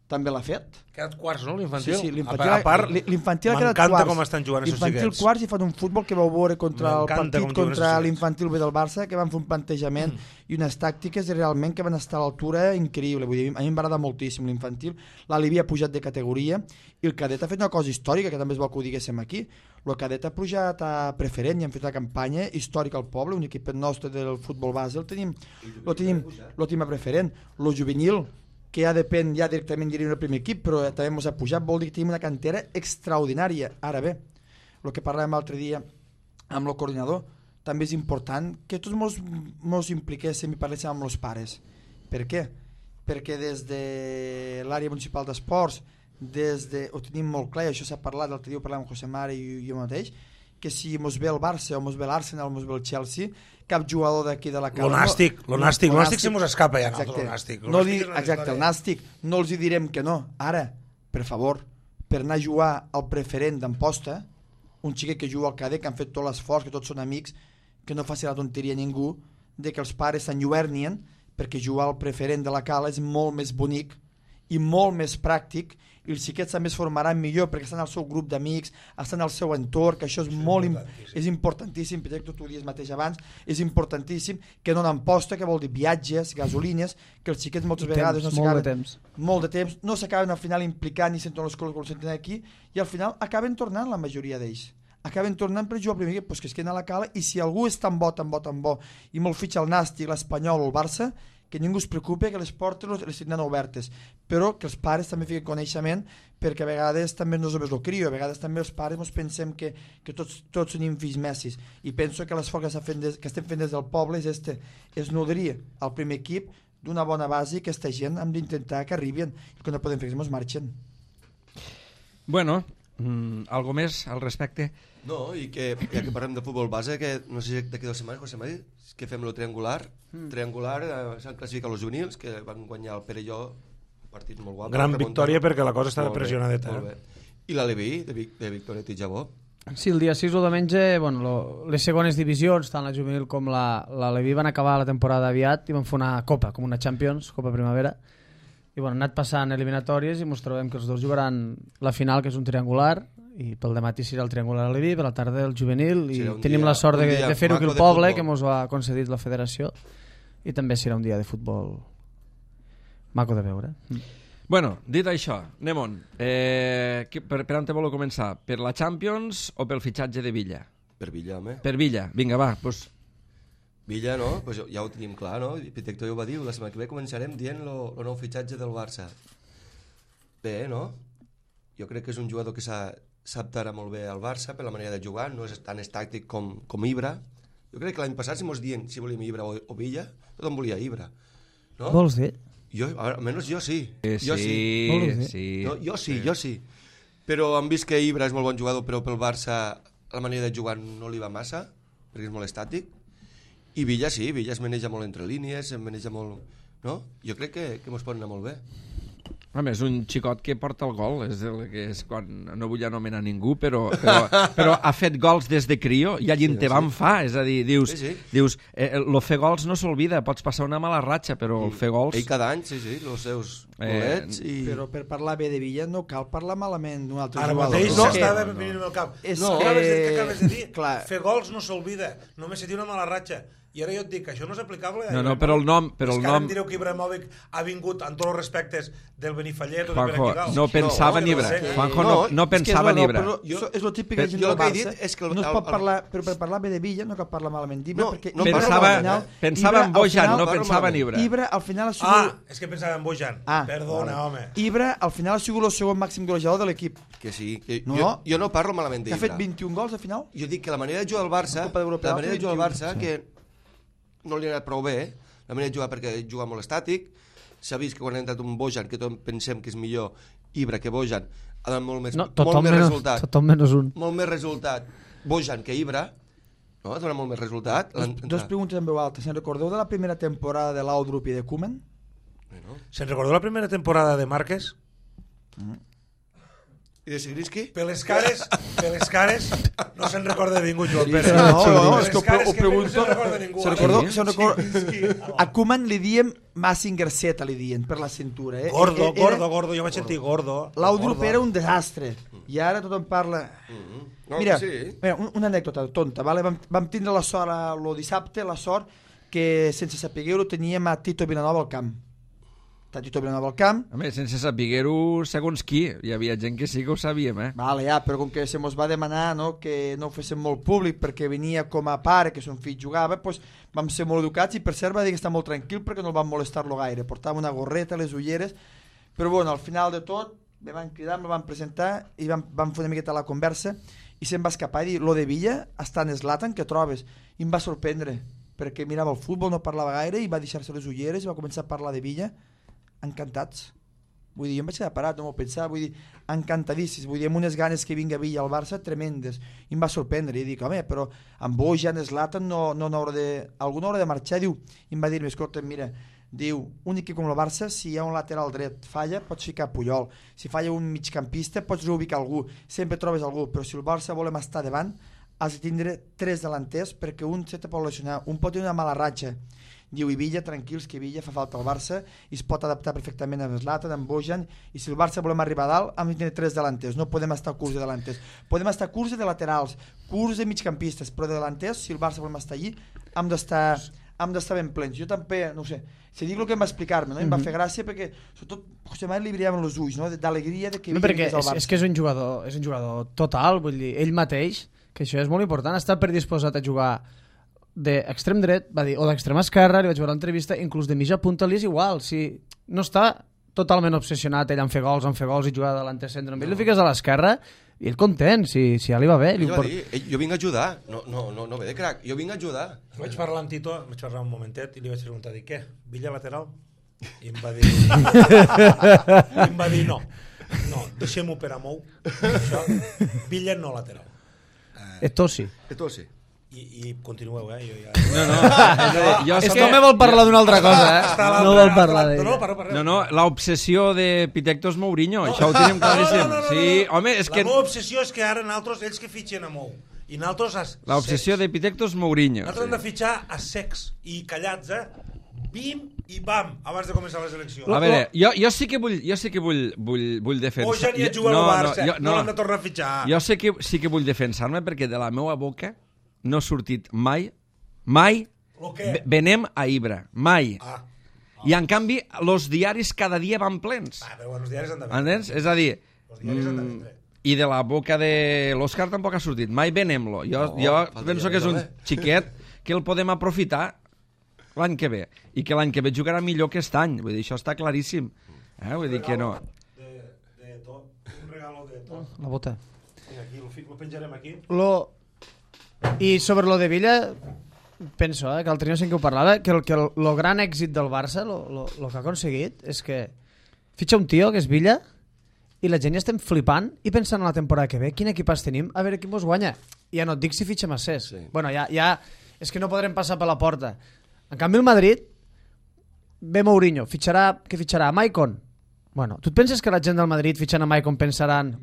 també l'ha fet. Ha quedat quarts, no, l'infantil? Sí, l'infantil ha quedat quarts. M'encanta com estan jugant aquests xiquets. L'infantil quarts i fan un futbol que vau veure contra el partit contra l'infantil B del Barça, que van fer un plantejament i unes tàctiques realment que van estar a l'altura increïble. Vull dir, a mi em va agradar moltíssim l'infantil. L'Aleví ha pujat de categoria i el cadet ha fet una cosa històrica, que també és bo que ho diguéssim aquí. El cadet ha pujat a preferent i han fet una campanya històrica al poble, un equip nostre del futbol base, el tenim a preferent. El juvenil, que ja depèn ja directament del primer equip, però també ens ha pujat, vol dir que tenim una cantera extraordinària. Ara bé, el que parlàvem l'altre dia amb el coordinador, també és important que tots ens impliquéssim i parléssim amb els pares. Per què? Perquè des de l'àrea municipal d'esports, ho tenim molt clar, i això s'ha parlat, l'altre dia ho parlàvem amb José Mari i jo mateix, que si mos ve el Barça o mos ve l'Arsenal o mos ve el Chelsea, cap jugador d'aquí de la cala... Lo nàstic se mos escapa ja, el nàstic. Exacte, el nàstic. No els hi direm que no. Ara, per favor, per anar a jugar al preferent d'Amposta, un xiquet que juga al cadet, que han fet tot l'esforç, que tots són amics, que no faci la tonteria a ningú, de que els pares s'enlluernien, perquè jugar al preferent de la cala és molt més bonic i molt més pràctic, i els xiquets també es formaran millor perquè estan al seu grup d'amics, estan al seu entorn, que això és importantíssim, perquè tu ho dius mateix abans, és importantíssim que no n'emposta, que vol dir viatges, gasolines, que els xiquets moltes vegades molt de temps, no s'acaben al final implicant i senten les coses que ho senten aquí, i al final acaben tornant la majoria d'ells. Acaben tornant per jugar al primer equip, que es queden a la cala, i si algú és tan bo, i molt fitxa el Nàstic, l'Espanyol o el Barça, que ningú es preocupi, que les portes les tindran obertes, però que els pares també fiquen coneixement, perquè a vegades també no és només el crio, a vegades també els pares ens pensem que tots són fills messis, i penso que l'esforç que estem fent des del poble és nodrir al primer equip d'una bona base, que aquesta gent hem d'intentar que arribin, i que no podem fer que ens marxen. Bueno, algo més al respecte? No, i que ja que parlem de futbol base, que no sé si d'aquí 2 setmanes, José Mari, que fem el triangular. S'han classificat els juvenils, que van guanyar el Perelló, un partit molt guapo. Gran victòria perquè la cosa està pressionadeta. I l'Aleví, de Victòria Titjabó. Sí, el dia 6 o diumenge, les segones divisions, tant la juvenil com l'Aleví, van acabar la temporada aviat i van fer una copa, com una Champions, Copa Primavera. I han anat passant eliminatòries i ens trobem que els dos jugaran la final, que és un triangular, i pel dematí serà el triangular a Leví, per la tarda el juvenil, i tenim la sort de fer-ho aquí al poble, que ens ho ha concedit la federació, i també serà un dia de futbol maco de veure. Bueno, dit això, anem-on. Per on te voleu començar? Per la Champions o pel fitxatge de Villa? Per Villa, home. Per Villa, vinga, va. Pues... Villa, no? Pues ja ho tenim clar, no? Pitecto ja ho va dir, la setmana que ve començarem dient el nou fitxatge del Barça. Bé, no? Jo crec que és un jugador que s'adaptarà molt bé al Barça per la manera de jugar, no és tan estàtic com Ibra. Jo crec que l'any passat, si mos dient si volíem Ibra o Villa, tothom volia Ibra. No? Vols dir? Jo, almenys jo sí. Sí. No, jo sí. Però hem vist que Ibra és molt bon jugador, però pel Barça la manera de jugar no li va massa, perquè és molt estàtic. I Villa sí, Villa es maneja molt entre línies, es maneja molt... No? Jo crec que mos pot anar molt bé. Home, és un xicot que porta el gol, és quan no vull anomenar ningú, però ha fet gols des de crio i allí te van fa, és a dir, dius, lo fer gols no s'olvida, pots passar una mala ratxa, però el fer gols... Ell cada any, sí, els seus golets i... Però per parlar bé de Villa no cal parlar malament d'un altre Ara jugador. mateix s'estava venint al cap. Què acabes de dir? Clar. Fer gols no s'olvida, només se té una mala ratxa. I ara jo et dic que això no és aplicable. No, però el nom... És que ara em direu que Ibrahimovic ha vingut amb tots els respectes del Benifallet o del Juanjo, Benfica. no pensava en Ibra. Juanjo no pensava en Ibra. És el típic que gent del Barça. No es pot parlar, però per parlar bé de Villa no cal parlar malament d'Ibra, perquè pensava en Bojan, no pensava en Ibra. Ibra al final ha sigut... És que pensava en Bojan. Perdona, home. Ibra al final ha sigut el segon màxim golejador de l'equip. Que sí. Jo no parlo malament d'Ibra. Que ha fet 21 gols al final. Jo dic que la manera de jugar al Barça, que no li ha anat prou bé, la manera de jugar perquè juga molt estàtic, s'ha vist que quan ha entrat un Bojan, que tots pensem que és millor Ibra que Bojan, ha donat molt més resultat. Tothom menys un. Molt més resultat Bojan que Ibra, no? Ha donat molt més resultat. Dos preguntes en veu alta. Se'n recordeu de la primera temporada de Laudrup i de Koeman? Se'n recordeu la primera temporada de Márquez? I de Sigrinski? Per les cares no se'n recorda de ningú, Joan Pérez. No, és que ho pregunto. No se'n recorda ningú. A Koeman li diem Massinger Z, li diem, per la cintura. Gordo, jo vaig sentir gordo. Laudrup era un desastre. I ara tothom parla... Mira, una anècdota tonta, vale? Vam tindre la sort el dissabte, la sort que sense saber-ho teníem a Tito Vilanova al camp. Tito Vilanova al camp. Home, sense saber-ho segons qui. Hi havia gent que sí que ho sabíem, Vale, ja, però com que se mos va demanar que no ho féssim molt públic perquè venia com a pare, que son fill jugava, doncs vam ser molt educats i per cert va dir que està molt tranquil perquè no el van molestar-lo gaire. Portava una gorreta, les ulleres, però bueno, al final de tot me van cridar, me van presentar i vam fer una miqueta la conversa i se'm va escapar i dir, lo de Villa està en Zlatan, que trobes? I em va sorprendre perquè mirava el futbol, no parlava gaire i va deixar-se les ulleres i va començar a parlar de Villa. Encantats. Vull dir, jo em vaig quedar parat, no m'ho pensava, vull dir, encantadíssims, vull dir, amb unes ganes que vinga Villa al Barça tremendes. I em va sorprendre, i dic, home, però amb Bojan, Zlatan, algú no haurà de marxar, diu, i em va dir, escolta, mira, diu, un equip com el Barça, si hi ha un lateral dret falla, pots ficar Puyol, si falla un migcampista, pots reubicar algú, sempre trobes algú, però si el Barça volem estar davant, has de tindre 3 delanters perquè un se te pot lesionar, un pot tenir una mala ratxa. Diu, i Villa, tranquils, que Villa fa falta al Barça i es pot adaptar perfectament a Zlatan, amb Bojan, i si el Barça volem arribar a dalt, hem de tenir 3 delanters, no podem estar curts de delanters. Podem estar curts de laterals, curts de migcampistes, però de delanters, si el Barça volem estar allí, hem d'estar ben plens. Jo també, no sé, si dic el que em va explicar-me, no? Em va fer gràcia perquè, sobretot, José Manuel li brillaven els ulls, no? D'alegria de que Villa vingués al Barça. És que és un jugador total, vull dir, ell mateix, que això és molt important, està predisposat a jugar d'extrem dret, va dir, o d'extrem esquerra, li vaig veure l'entrevista, inclús de mitja punta li és igual, si no està totalment obsessionat ell en fer gols i jugar de l'antecentre, ell li fiques a l'esquerra i ell content, si ja li va bé. Ell va dir, jo vinc a ajudar, no ve de crac, jo vinc a ajudar. Vaig parlar amb Tito, vaig parlar un momentet i li vaig preguntar, què, Villa lateral? I em va dir, no, deixem-ho per a Mou, Villa no lateral. Esto sí. I continueu, jo ja... No, és que no me vol parlar d'una altra cosa, no vol parlar d'ella. No, l'obsessió de Pitecto és Mourinho, això ho tenim claríssim. Sí, home, és que... La meva obsessió és que ara nosaltres, ells que fitxen a Mou, i nosaltres... L'obsessió de Pitecto és Mourinho. Nosaltres hem de fitxar a secs i callats, bim i bam, abans de començar les eleccions. A veure, jo sí que vull defensar... Bojan ja juga al Barça, no l'hem de tornar a fitxar. Jo sí que vull defensar-me perquè de la meva boca no ha sortit mai venem a Ibra, mai. I en canvi, els diaris cada dia van plens. Però bueno, els diaris han de vendre. Entens? És a dir, Els diaris han de vendre. i de la boca de l'Òscar tampoc ha sortit. Mai venem-lo. Jo penso que és un xiquet que el podem aprofitar l'any que ve. I que l'any que ve jugarà millor que aquest any. Vull dir, això està claríssim. Vull dir que no. De tot. Un regalo de tot. La bota. Mira, aquí, lo penjarem aquí. I sobre lo de Villa, penso, que el Trinio sí que ho parlava, que el gran èxit del Barça, lo que ha aconseguit, és que fitxa un tio, que és Villa, i la gent ja estem flipant i pensant en la temporada que ve, quin equipàs tenim, a veure qui mos guanya. I ja no et dic si fitxa Massés. Sí. Bueno, ja és que no podrem passar per la porta. En canvi, el Madrid ve Mourinho, què fitxarà? Maicon. Bueno, tu et penses que la gent del Madrid fitxant a Maicon pensaran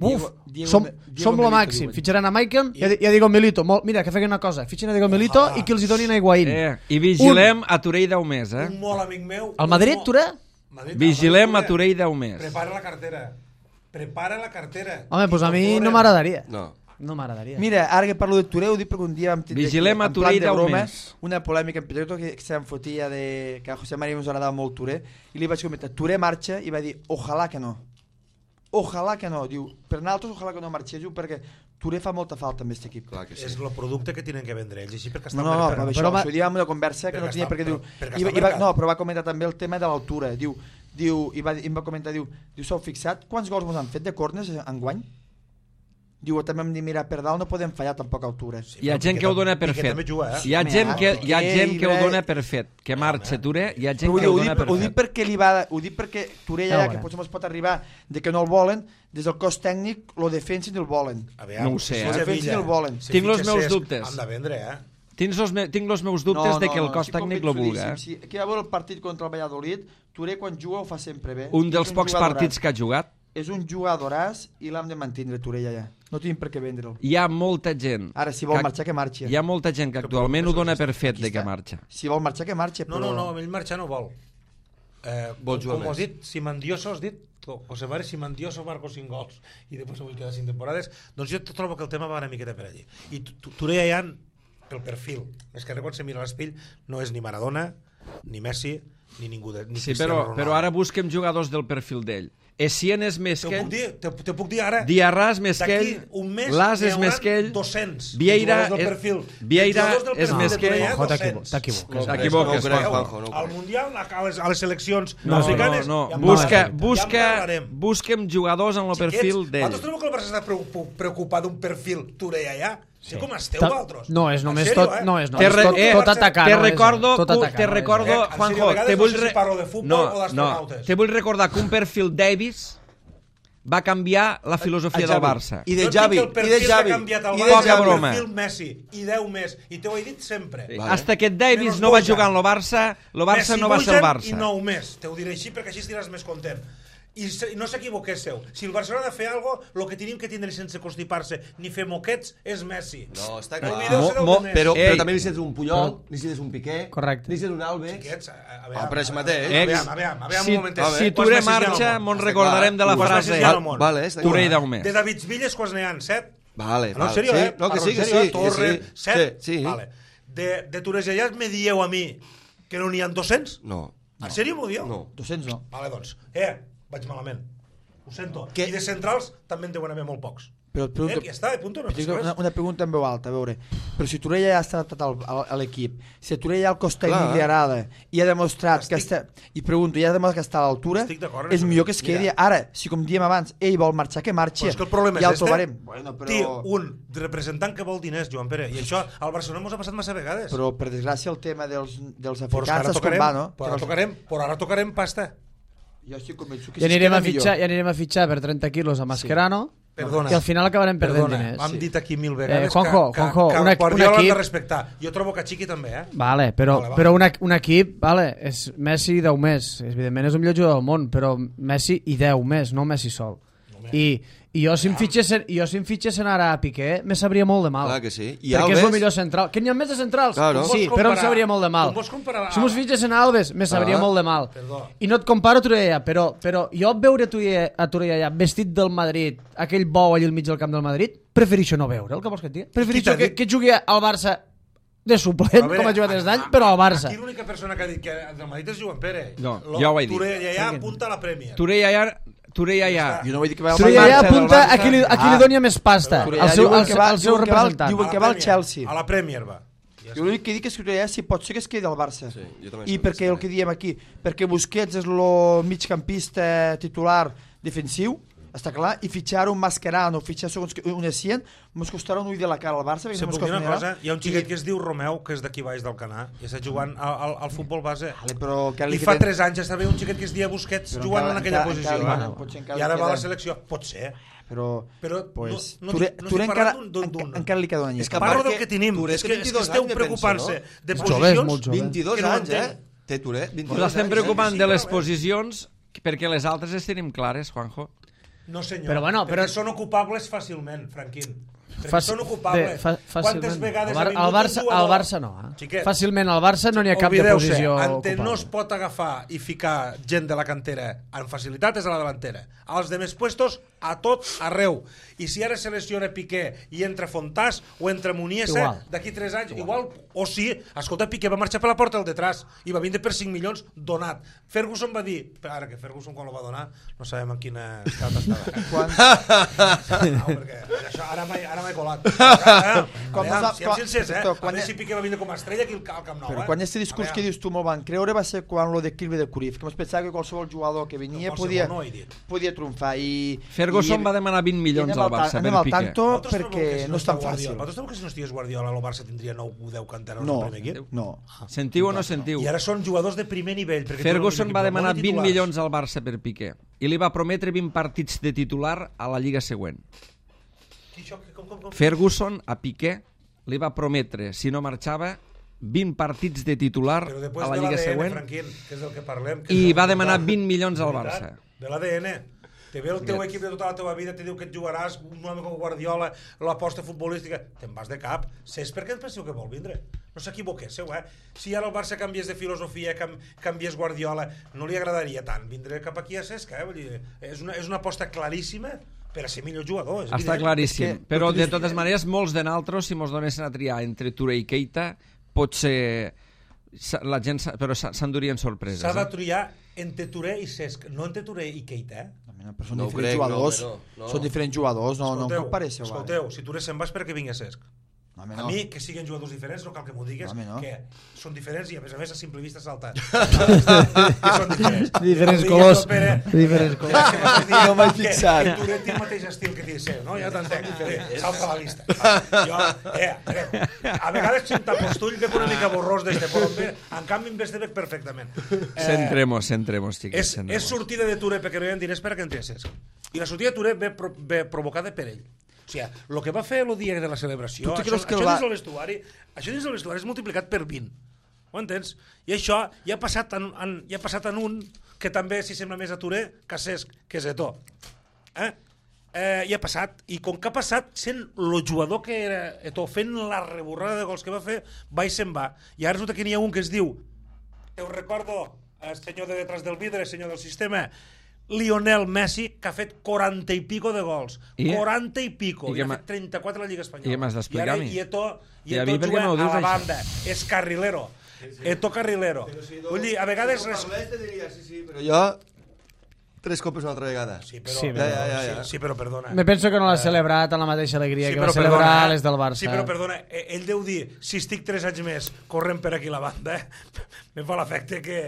som lo màxim, fitxaran a Maicon i a Diego Milito. Mira, que feien una cosa, fitxen a Diego Milito i que els hi donin a Higuaín. I vigilem a Touré i Daumés, Un molt amic meu... El Madrid, Touré? Vigilem a Touré i Daumés. Prepara la cartera. Home, doncs a mi no m'agradaria. No m'agradaria. Mira, ara que parlo de Touré, ho dic perquè un dia vam tindre Vigilem a Touré i Daumés. una polèmica en Pedro que se'n fotia de que a José María ens agradava molt Touré i li vaig comentar, Touré marxa i va dir, ojalà que no, diu, per nosaltres ojalà que no marxés, diu, perquè Touré fa molta falta amb aquest equip. Clar que sí. És el producte que tenen que vendre ells, així perquè estan No, però això ho diem en una conversa que no tenia perquè diu, però va comentar també el tema de l'altura, diu, i em va comentar, diu, s'heu fixat quants gols ens han fet de corners enguany? Diu, també hem de mirar per dalt, no podem fallar tampoc a altura. Hi ha gent que ho dona per fet. Hi ha gent que ho dona per fet. Que marxa Touré, hi ha gent que ho dona per fet. Ho dic perquè Touré ja, que potser ens pot arribar de que no el volen, des del cos tècnic lo defensen i el volen. No ho sé, Lo defensen i el volen. Tinc els meus dubtes. Han de vendre, Tinc els meus dubtes de que el cos tècnic lo vulgui. Aquí va veure el partit contra el Valladolid, Touré quan juga ho fa sempre bé. Un dels pocs partits que ha jugat. És un jugadoràs i l'hem de mantenir, Touré, ja. No tenim per què vendre'l. Hi ha molta gent... Ara, si vol marxar, que marxi. Hi ha molta gent que actualment ho dona per fet de que marxa. Si vol marxar, que marxi, però... No, ell marxar no vol. Vol jugar com més. has dit, Simandioso, has dit, José María Simandioso marcó 5 gols i després avui queda 5 temporades, doncs jo trobo que el tema va una miqueta per allí. I Touré ja pel perfil, més que res quan se mira l'espill, no és ni Maradona, ni Messi, ni ningú ni sí, Cristiano Ronaldo. però ara busquem jugadors del perfil d'ell. Essien és més que ell, te puc dir ara, Diarra és més que ell, d'aquí un mes Las és més que ell, 200 Vieira jugadors és més que ell. T'equivoques. Al Mundial, a les seleccions africanes, busquem jugadors en el perfil d'ell. Vosaltres trobeu que el Barça està preocupat d'un perfil Touré allà? Sí. Com esteu, vosaltres? No, és només tot... No, és tot atacar. Te recordo, Juanjo, te vull recordar que un perfil Davis va canviar la filosofia del Barça. I de Xavi. Poca broma. El perfil Messi i 10 més. I t'ho he dit sempre. Hasta que Davis no va jugar en el Barça no va ser el Barça. I 9 més. Te ho diré així perquè així estiràs més content. I no s'equivoquéssiu, si el Barcelona ha de fer alguna cosa, el que tenim que tindre sense constipar-se ni fer moquets és Messi. No, està clar. Però també necessites un Puyol, necessites un Piqué, necessites un Alves. Per això mateix. Si Touré marxa, mos recordarem de la frase Touré i Daumés. De David Villes, quants n'hi ha? 7? Vale. No, en sèrio, No, que sí, que sí. Torres, 7? Vale. De Touré ja me dieu a mi que no n'hi ha 200? No. En sèrio m'ho dieu? No. 200 no. Vale, doncs. Vaig malament. Ho sento. I de centrals també en deuen haver molt pocs. Però ja està, punto, no una pregunta en veu alta, a veure, però si Touré ja ha estat a l'equip, si Touré ja el cos tècnic li agrada i ha demostrat que està, i pregunto, ja ha demostrat que està a l'altura, és millor que es quedi. Ara, si com diem abans, ell vol marxar, que marxi, ja el trobarem. Té un representant que vol diners, Joan Pere, i això al Barcelona ens ha passat massa vegades. Però per desgràcia el tema dels africans és com va, no? Però ara tocarem pasta. Jo estic convençut que ja anirem a fitxar per 30 quilos a Mascherano. Perdona. I al final acabarem perdent diners. Hem dit aquí 1000 vegades Juanjo, que Guardiola l'han de respectar. Jo trobo que Chiqui també, Vale, però un equip, és Messi i 10 més. Evidentment és un millor jugador del món, però Messi i 10 més, no Messi sol. I jo si em fitxessin ara a Piqué me sabria molt de mal. Clar que sí. Perquè és el millor central. Que n'hi ha més de centrals? Sí, però em sabria molt de mal. Si mos fitxessin a Alves me sabria molt de mal. I no et comparo a Touré, però jo veure a Touré allà vestit del Madrid, aquell bou allà al mig del camp del Madrid, prefereixo no veure, el que vols que et digui? Prefereixo que jugui al Barça de suplent, com a jugador d'any, però al Barça. Aquí l'única persona que ha dit que del Madrid és Joan Pérez. No, ja ho he dit. Touré ja apunta a la Premier. Touré ja... Jo no vull dir que va al Touré ja Barça, apunta del a qui li doni més pasta, Touré al ja seu diuen representant. que va al Chelsea. A la Premier va. Jo l'únic que dic és que Touré si pot ser que es quedi al Barça. Sí, jo també I sóc perquè el d'aquest. que diem aquí, perquè Busquets és el migcampista titular defensiu, està clar, i fitxar un Mascherano, fitxar segons un Essien, ens costarà un ull de la cara al Barça. Se puc dir una cosa? Hi ha un xiquet que es diu Romeu, que és d'aquí baix del Canà, i està jugant al futbol base. Però I fa 3 anys estava un xiquet que es deia Busquets jugant en aquella posició. I ara va a la selecció. Pot ser. Però pues, no Touré estic encara, parlant d'un... encara li queda un anyet. És que Parlo del perquè que tenim. Touré És té que 22 esteu anys de preocupant-se pensa, de Molt jove, és posicions... molt jove. 22 que no anys, entenc. Té Touré, 22 Us estem anys. preocupant sí, de les sí, posicions perquè les altres les tenim clares, Juanjo. No senyor, Però bueno, perquè però- són ocupables fàcilment, Franquín. Perquè Faci- són ocupables. Quantes fàcilment. vegades Al ha vingut Barça, un jugador... al Barça no. Xiquet, Fàcilment al Barça no n'hi ha cap de oblideu-se, posició ante no es ocupable. pot agafar i ficar gent de la cantera amb facilitat és a la delantera. Als demés puestos, a tot arreu. I si ara se lesiona Piqué i entra Fontàs o entra Muniesa, Igual. d'aquí 3 anys, igual, o sí, escolta, Piqué va marxar per la porta del detrás i va vindre per 5 milions donat. Ferguson va dir, ara que Ferguson quan lo va donar, no sabem en quina estat estava. No, perquè això ara m'he colat. Siguem sincers, a veure si Piqué va vindre com a estrella aquí al Camp Nou. Però quan aquest discurs que dius tu molt van creure va ser quan lo de Kilby de Cruyff, que ens pensava que qualsevol jugador que venia podia triomfar i... Ferguson va demanar 20 milions al Barça per al Piqué. tanto perquè no és tan fàcil. Vosaltres sabeu que si no estigués Guardiola el Barça tindria 9 o 10 canteros No, al primer equip? no. Sentiu o no sentiu? I ara són jugadors de primer nivell. Ferguson va demanar 20 milions al Barça per Piqué i li va prometre 20 partits de titular a la Lliga següent. Ferguson a Piqué li va prometre, si no marxava, 20 partits de titular a la Lliga següent Franquín, que és del que parlem, que i és va el demanar veritat, 20 milions al veritat, Barça. de l'ADN. Te ve el teu equip de tota la teva vida, te diu que et jugaràs, un home com Guardiola, l'aposta futbolística, te'n vas de cap. Saps per què et penseu que vol vindre? No s'equivoquéssiu, Si ara el Barça canviés de filosofia, canviés Guardiola, no li agradaria tant vindre cap aquí a Cesc, Vull dir, és una aposta claríssima per a ser millor jugador. Està claríssim, però de totes maneres molts de naltros, si mos donessin a triar entre Touré i Keita, potser la gent però s'endurien sorpreses. S'ha de triar entre Touré i Cesc, no entre Touré i Keita, Però són No ho diferents crec, jugadors. no. Són diferents jugadors, no em compareixeu. Escolteu, si Touré se'n va és perquè vingui Cesc. No, home, A mi, que siguin jugadors diferents, no cal que m'ho digues, No, home, no. que són diferents i a més a simple vista salta. Que són diferents. Diferents No colors. diguis, Pere, Diferents colors. No m'he fixat. Que Touré té el mateix estil que té seu, no? Ja t'entenc, salta a la vista. Jo, a vegades si un tapostull veig una mica borrós d'este, però en canvi em ves de veig perfectament. Centremos, xiquets. És sortida de Touré perquè no hi ha diners per a que entri a Cesc. I la sortida de Touré ve provocada per ell. O sigui, el que va fer el dia de la celebració, Tu te això creus que dins del vestuari és multiplicat per 20. Ho entens? I això ja ha passat en un que també s'hi sembla més a Touré que a Cesc, que és Eto'o. I ha passat, i com que ha passat, sent el jugador que era Eto'o, fent la reborrada de gols que va fer, va i se'n va. I ara resulta que n'hi ha un que es diu, te ho recordo, senyor de detrás del vidre, senyor del sistema, Lionel Messi, que ha fet 40 i pico de gols. 40 i pico. I ha fet 34 a la Lliga Espanyola. I què m'has d'explicar a mi? I Eto'o juga a la banda. És carrilero. Eto'o carrilero. Vull dir, a vegades... Però jo... 3 copes una altra vegada. Sí, però, sí, però perdona. Me penso que no l'ha celebrat amb la mateixa alegria que va celebrar les del Barça. Sí, però perdona, ell deu dir, si estic 3 anys més corrent per aquí la banda, me fa l'efecte que...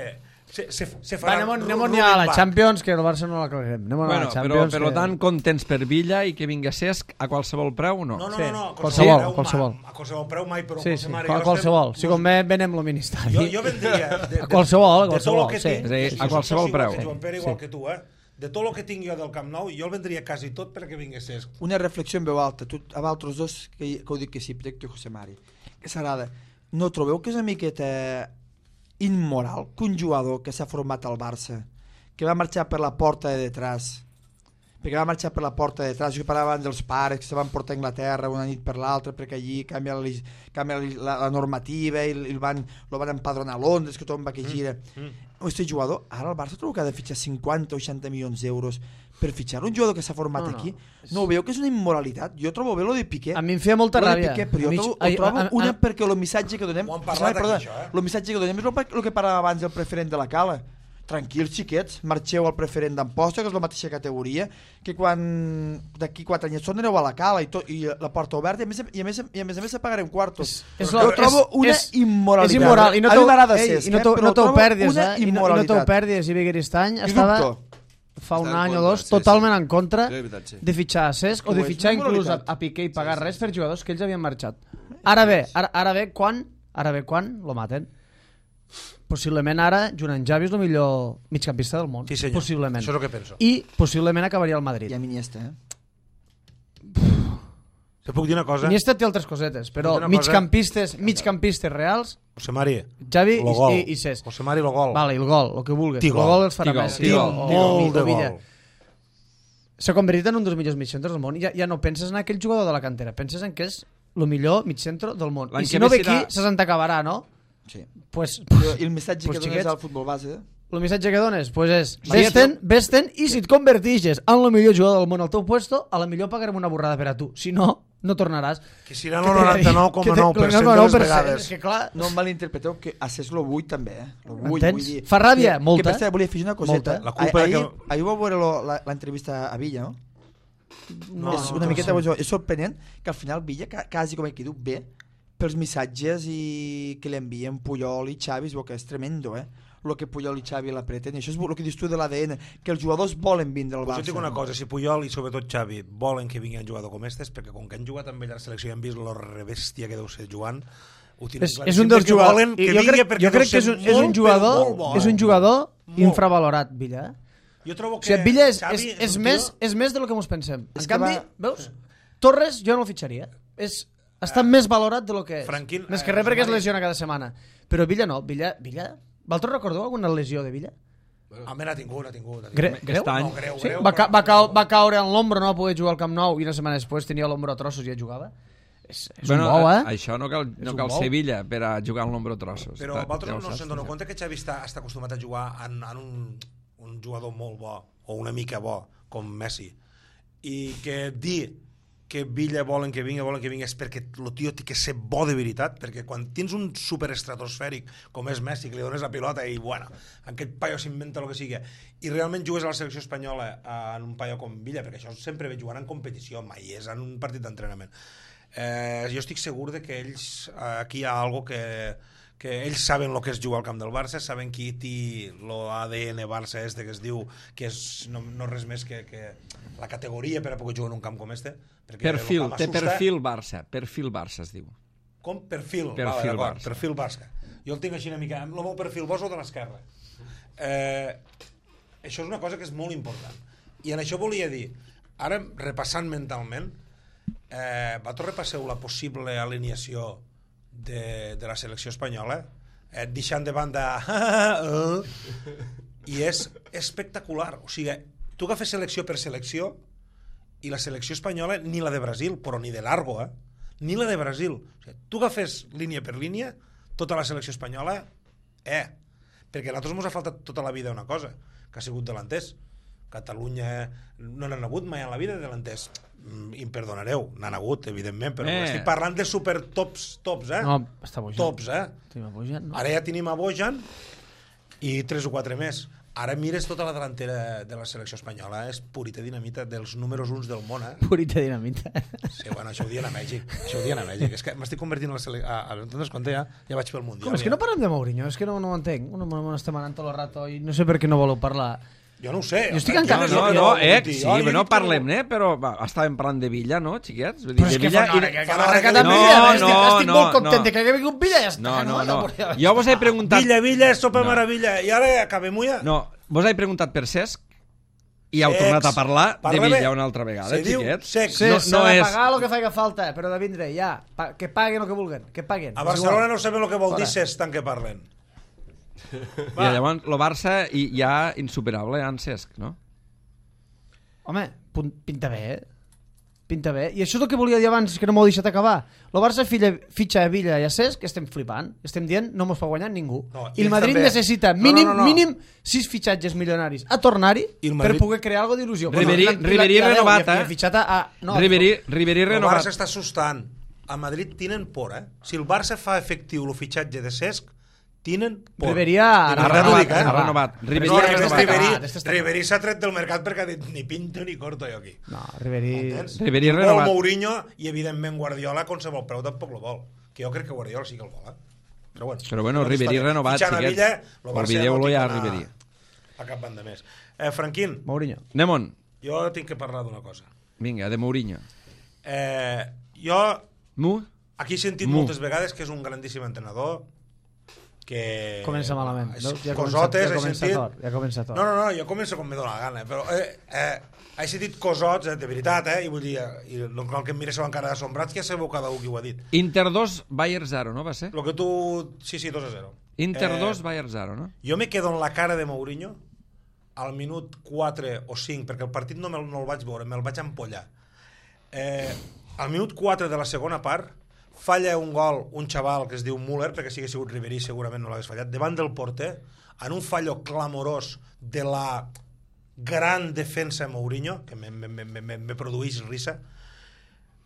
Se farà anem a la Champions, que el Barça no la claguem. Bueno, però per tant, contents per Villa i que vingui Cesc a qualsevol preu o no? No, qualsevol. A qualsevol preu mai, però sí, a qualsevol. Si com venem el ministeri. Jo vendria... A qualsevol, sí. És a dir, a qualsevol preu. Joan Pere, igual que tu, de tot el que tinc jo del Camp Nou, jo el vendria quasi tot perquè vingui Cesc. Una reflexió en veu alta, a vosaltres dos, que ho dic que sí, Plecto i José Mari. Que s'agrada. No trobeu que és una miqueta immoral que un jugador que s'ha format al Barça, que va marxar per la porta de detrás, perquè va marxar per la porta de detrás, jo parlava dels pares que se van portar a Anglaterra una nit per l'altra perquè allí canvia la normativa i lo van empadronar a Londres, que tothom va que gira. este jugador, ara el Barça trobo que ha de fitxar 50 o 60 milions d'euros per fitxar un jugador que s'ha format aquí. No ho veu que és una immoralitat? Jo trobo bé lo de Piqué. A mi em feia molta ràbia. Però jo trobo una perquè el missatge que donem... Ho han parlat aquí, això, el missatge que donem és el que parava abans el preferent de la Cala. Tranquils, xiquets, marxeu al preferent d'Amposta, que és la mateixa categoria, que quan d'aquí 4 anys aneu a la Cala i la porta oberta, i a més se pagarem quartos. Jo trobo una immoralitat. És immoral. A mi m'agrada Cesc, però trobo una immoralitat. I no t'ho perdis, i Begueristany estava fa un any o dos totalment en contra de fitxar a Cesc o de fitxar inclús a Piqué i pagar res per jugadors que ells havien marxat. Ara bé, quan lo maten? Possiblement ara Junan Javi és el millor migcampista del món. Sí, senyor. Possiblement. Això és el que penso. I possiblement acabaria al Madrid. I a Iniesta, Te puc dir una cosa? Iniesta té altres cosetes, però migcampistes reals, José Mari, Javi i Cesc. José Mari, lo gol. Vale, el gol, el que vulguis. El Tigol. gol els farà Messi. Molt de gol. S'ha convertit en un dels millors migcentres del món. Ja no penses en aquell jugador de la cantera, penses en que és el millor migcentro del món. I si no ve aquí, se s'entacabarà, no? Sí. Pues, i el missatge que dones al futbol base? El missatge que dones és vés-te'n i si et convertixes en el millor jugador del món al teu puesto, a la millor pagarem una borrada per a tu. Si no, no tornaràs. Que si no el 99,9% de les vegades. Que clar, no em malinterpreteu, que a Cesc lo vull també. M'entens? Fa ràbia? Molta. Que per cert, volia afegir una coseta. Ahir vau veure l'entrevista a Villa, no? És una miqueta és sorprenent que al final Villa, quasi com aquí diu, bé pels missatges que li envien Puyol i Xavi, es veu que és tremendo, el que Puyol i Xavi l'apreten, i això és el que dius tu de l'ADN, que els jugadors volen vindre al Barça. Jo et dic una cosa, si Puyol i sobretot Xavi volen que vingui un jugador com este, perquè com que han jugat amb ell a la selecció i han vist la rebèstia que deu ser Joan, ho tenen clar. És un dels jugadors, jo crec que és un jugador infravalorat, Villa. Jo trobo que Villa és més de lo que ens pensem. En canvi, veus, Torres jo no el fitxaria. Està més valorat de lo que és. Més que res perquè es lesiona cada setmana. Però Villa no. Villa... Vosaltres recordeu alguna lesió de Villa? Home, n'ha tingut. Greu? No, greu. Va caure en l'ombro, no va poder jugar al Camp Nou i una setmana després tenia l'ombro a trossos i ja jugava. És un bou, Això no cal ser Villa per a jugar en l'ombro a trossos. Però vosaltres no se'n doneu compte que Xavi està acostumat a jugar en un jugador molt bo o una mica bo, com Messi, i que dir que Villa volen que vingui és perquè el tio té que ser bo de veritat, perquè quan tens un superestratosfèric com és Messi, que li dones la pilota i bueno, aquest paio s'inventa el que sigui i realment jugues a la selecció espanyola en un paio com Villa, perquè això sempre ve jugant en competició, mai és en un partit d'entrenament. Jo estic segur de que ells aquí hi ha algo que ells saben el que és jugar al camp del Barça, saben qui té l'ADN Barça que es diu que és no res més que la categoria per a poder jugar en un camp com este. Té perfil Barça es diu. Com? Perfil Barça. Jo el tinc així una mica, el meu perfil bo és el de l'esquerra. Això és una cosa que és molt important. I en això volia dir, ara repassant mentalment, vosaltres repasseu la possible alineació de la selecció espanyola, deixant de banda i és espectacular. O sigui, tu agafes selecció per selecció i la selecció espanyola, ni la de Brasil, però ni de largo, ni la de Brasil. O sigui, tu agafes línia per línia, tota la selecció espanyola, perquè a nosaltres ens ha faltat tota la vida una cosa, que ha sigut delanters. Catalunya no n'han hagut mai en la vida delanters. Em perdonareu, n'han hagut, evidentment, però estic parlant de super tops, No, està Bojan. Tops, Tenim a Bojan, no? Ara ja tenim a Bojan i 3 o 4 més. Ara mires tota la delantera de la selecció espanyola, és purita dinamita dels números 1 del món, Purita dinamita. Sí, bueno, això ho diuen a Mèxic. És que m'estic convertint en la selecció... Entonces, quan ja vaig pel Mundial. Com, és que no parlem de Mourinho, és que no ho entenc. No estem anant tot el rato i no sé per què no voleu parlar. Jo no ho sé. Jo estic encara... No parlem, però estàvem parlant de Villa, no, xiquets? Però és que estic molt content que hagi vingut Villa i ja està. No. Jo vos he preguntat... Villa, sopa meravella. I ara acabem ja. No, vos he preguntat per Cesc i heu tornat a parlar de Villa una altra vegada, xiquets. S'ha de pagar el que faci falta, però de vindre, ja. Que paguen el que vulguen, que paguen. A Barcelona no saben el que vol dir Cesc tant que parlen. I llavors el Barça ja insuperable en Cesc, no? Home, pinta bé, Pinta bé. I això és el que volia dir abans, que no m'ho he deixat acabar. El Barça fitxa a Villa i a Cesc, que estem flipant. Estem dient, no mos fa guanyar ningú. No, I el Madrid també necessita mínim 6 fitxatges milionaris a tornar-hi per poder crear alguna d'il·lusió. Ribéry renovat, Ribéry renovat. El renovat. Barça està assustant. A Madrid tenen por, Si el Barça fa efectiu el fitxatge de Cesc, tenen por. Ribéry ha renovat. Ribéry s'ha tret del mercat perquè ha dit ni pinto ni corto jo aquí. No, Ribéry Vol renovat. Mourinho i evidentment Guardiola con qualsevol preu tampoc lo vol. Que jo crec que Guardiola sí que el vol, Però bueno, Ribéry renovat, xiquets. Olvideu-lo ja, Ribéry. A cap banda més. Franquín. Mourinho. Anem-on. Jo tinc que parlar d'una cosa. Vinga, de Mourinho. Jo Mu? aquí he sentit moltes vegades que és un grandíssim entrenador, que... Comença malament. Cosotes, he sentit... Ja comença tot. No, jo començo com me dóna la gana, però he sentit cosots, de veritat, i vull dir, i el que em mira amb cara d'assombrats, que ja sabeu cada un qui ho ha dit. Inter 2, Bayern 0, no va ser? Lo que tu... Sí, 2-0. Inter 2, Bayern 0, no? Jo me quedo en la cara de Mourinho al minut 4 o 5, perquè el partit no el vaig veure, me'l vaig empollar. Al minut 4 de la segona part, falla un gol un xaval que es diu Müller, perquè si hagués sigut Ribéry segurament no l'hagués fallat, davant del porter, en un fallo clamorós de la gran defensa Mourinho, que me produeix risa,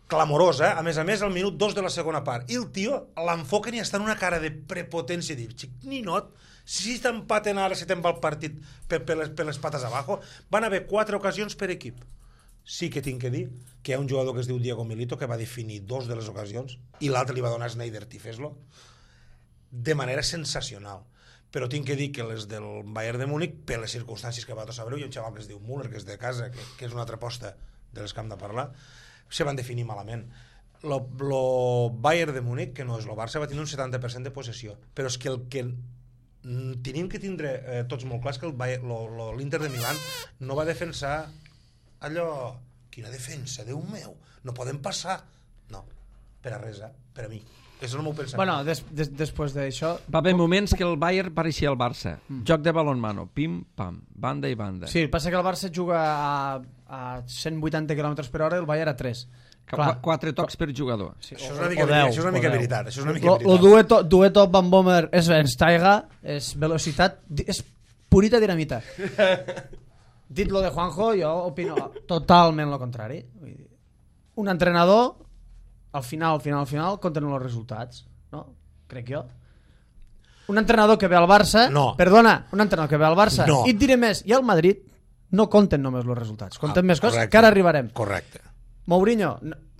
clamorós, A més, al minut 2 de la segona part. I el tio l'enfoquen i està en una cara de prepotència, diu, xic, ninot, si t'empaten ara, si te'n va el partit per les pates abajo, van haver 4 ocasions per equip. Sí que tinc que dir que hi ha un jugador que es diu Diego Milito que va definir 2 de les ocasions i l'altre li va donar Sneijder Tifeslo de manera sensacional. Però tinc que dir que les del Bayern de Múnich, per les circumstàncies que va tot saber, hi ha un xaval que es diu Müller, que és de casa, que és una altra aposta de les que hem de parlar, se van definir malament. Lo Bayern de Múnich, que no és el Barça, va tenir un 70% de possessió, però és que el que tenim que tindre tots molt clar és que l'Inter de Milán no va defensar allò, quina defensa, Déu meu, no podem passar. No, per a res, per a mi. És el meu pensament. Bueno, després d'això... Va haver moments que el Bayern pareixia el Barça. Joc de balonmano, pim, pam, banda i banda. Sí, passa que el Barça juga a 180 km per hora i el Bayern a 3. 4 tocs per jugador. Sí, això és una mica veritat. El dueto Van Bommel és Schweinsteiger, és velocitat, és purita dinamita. Dit lo de Juanjo, jo opino totalment lo contrari. Un entrenador, al final, compten els resultats, no? Crec jo. Un entrenador que ve al Barça... No. Perdona, un entrenador que ve al Barça... No. I et diré més, i al Madrid no compten només els resultats, compten més coses, que ara arribarem. Correcte. Mourinho...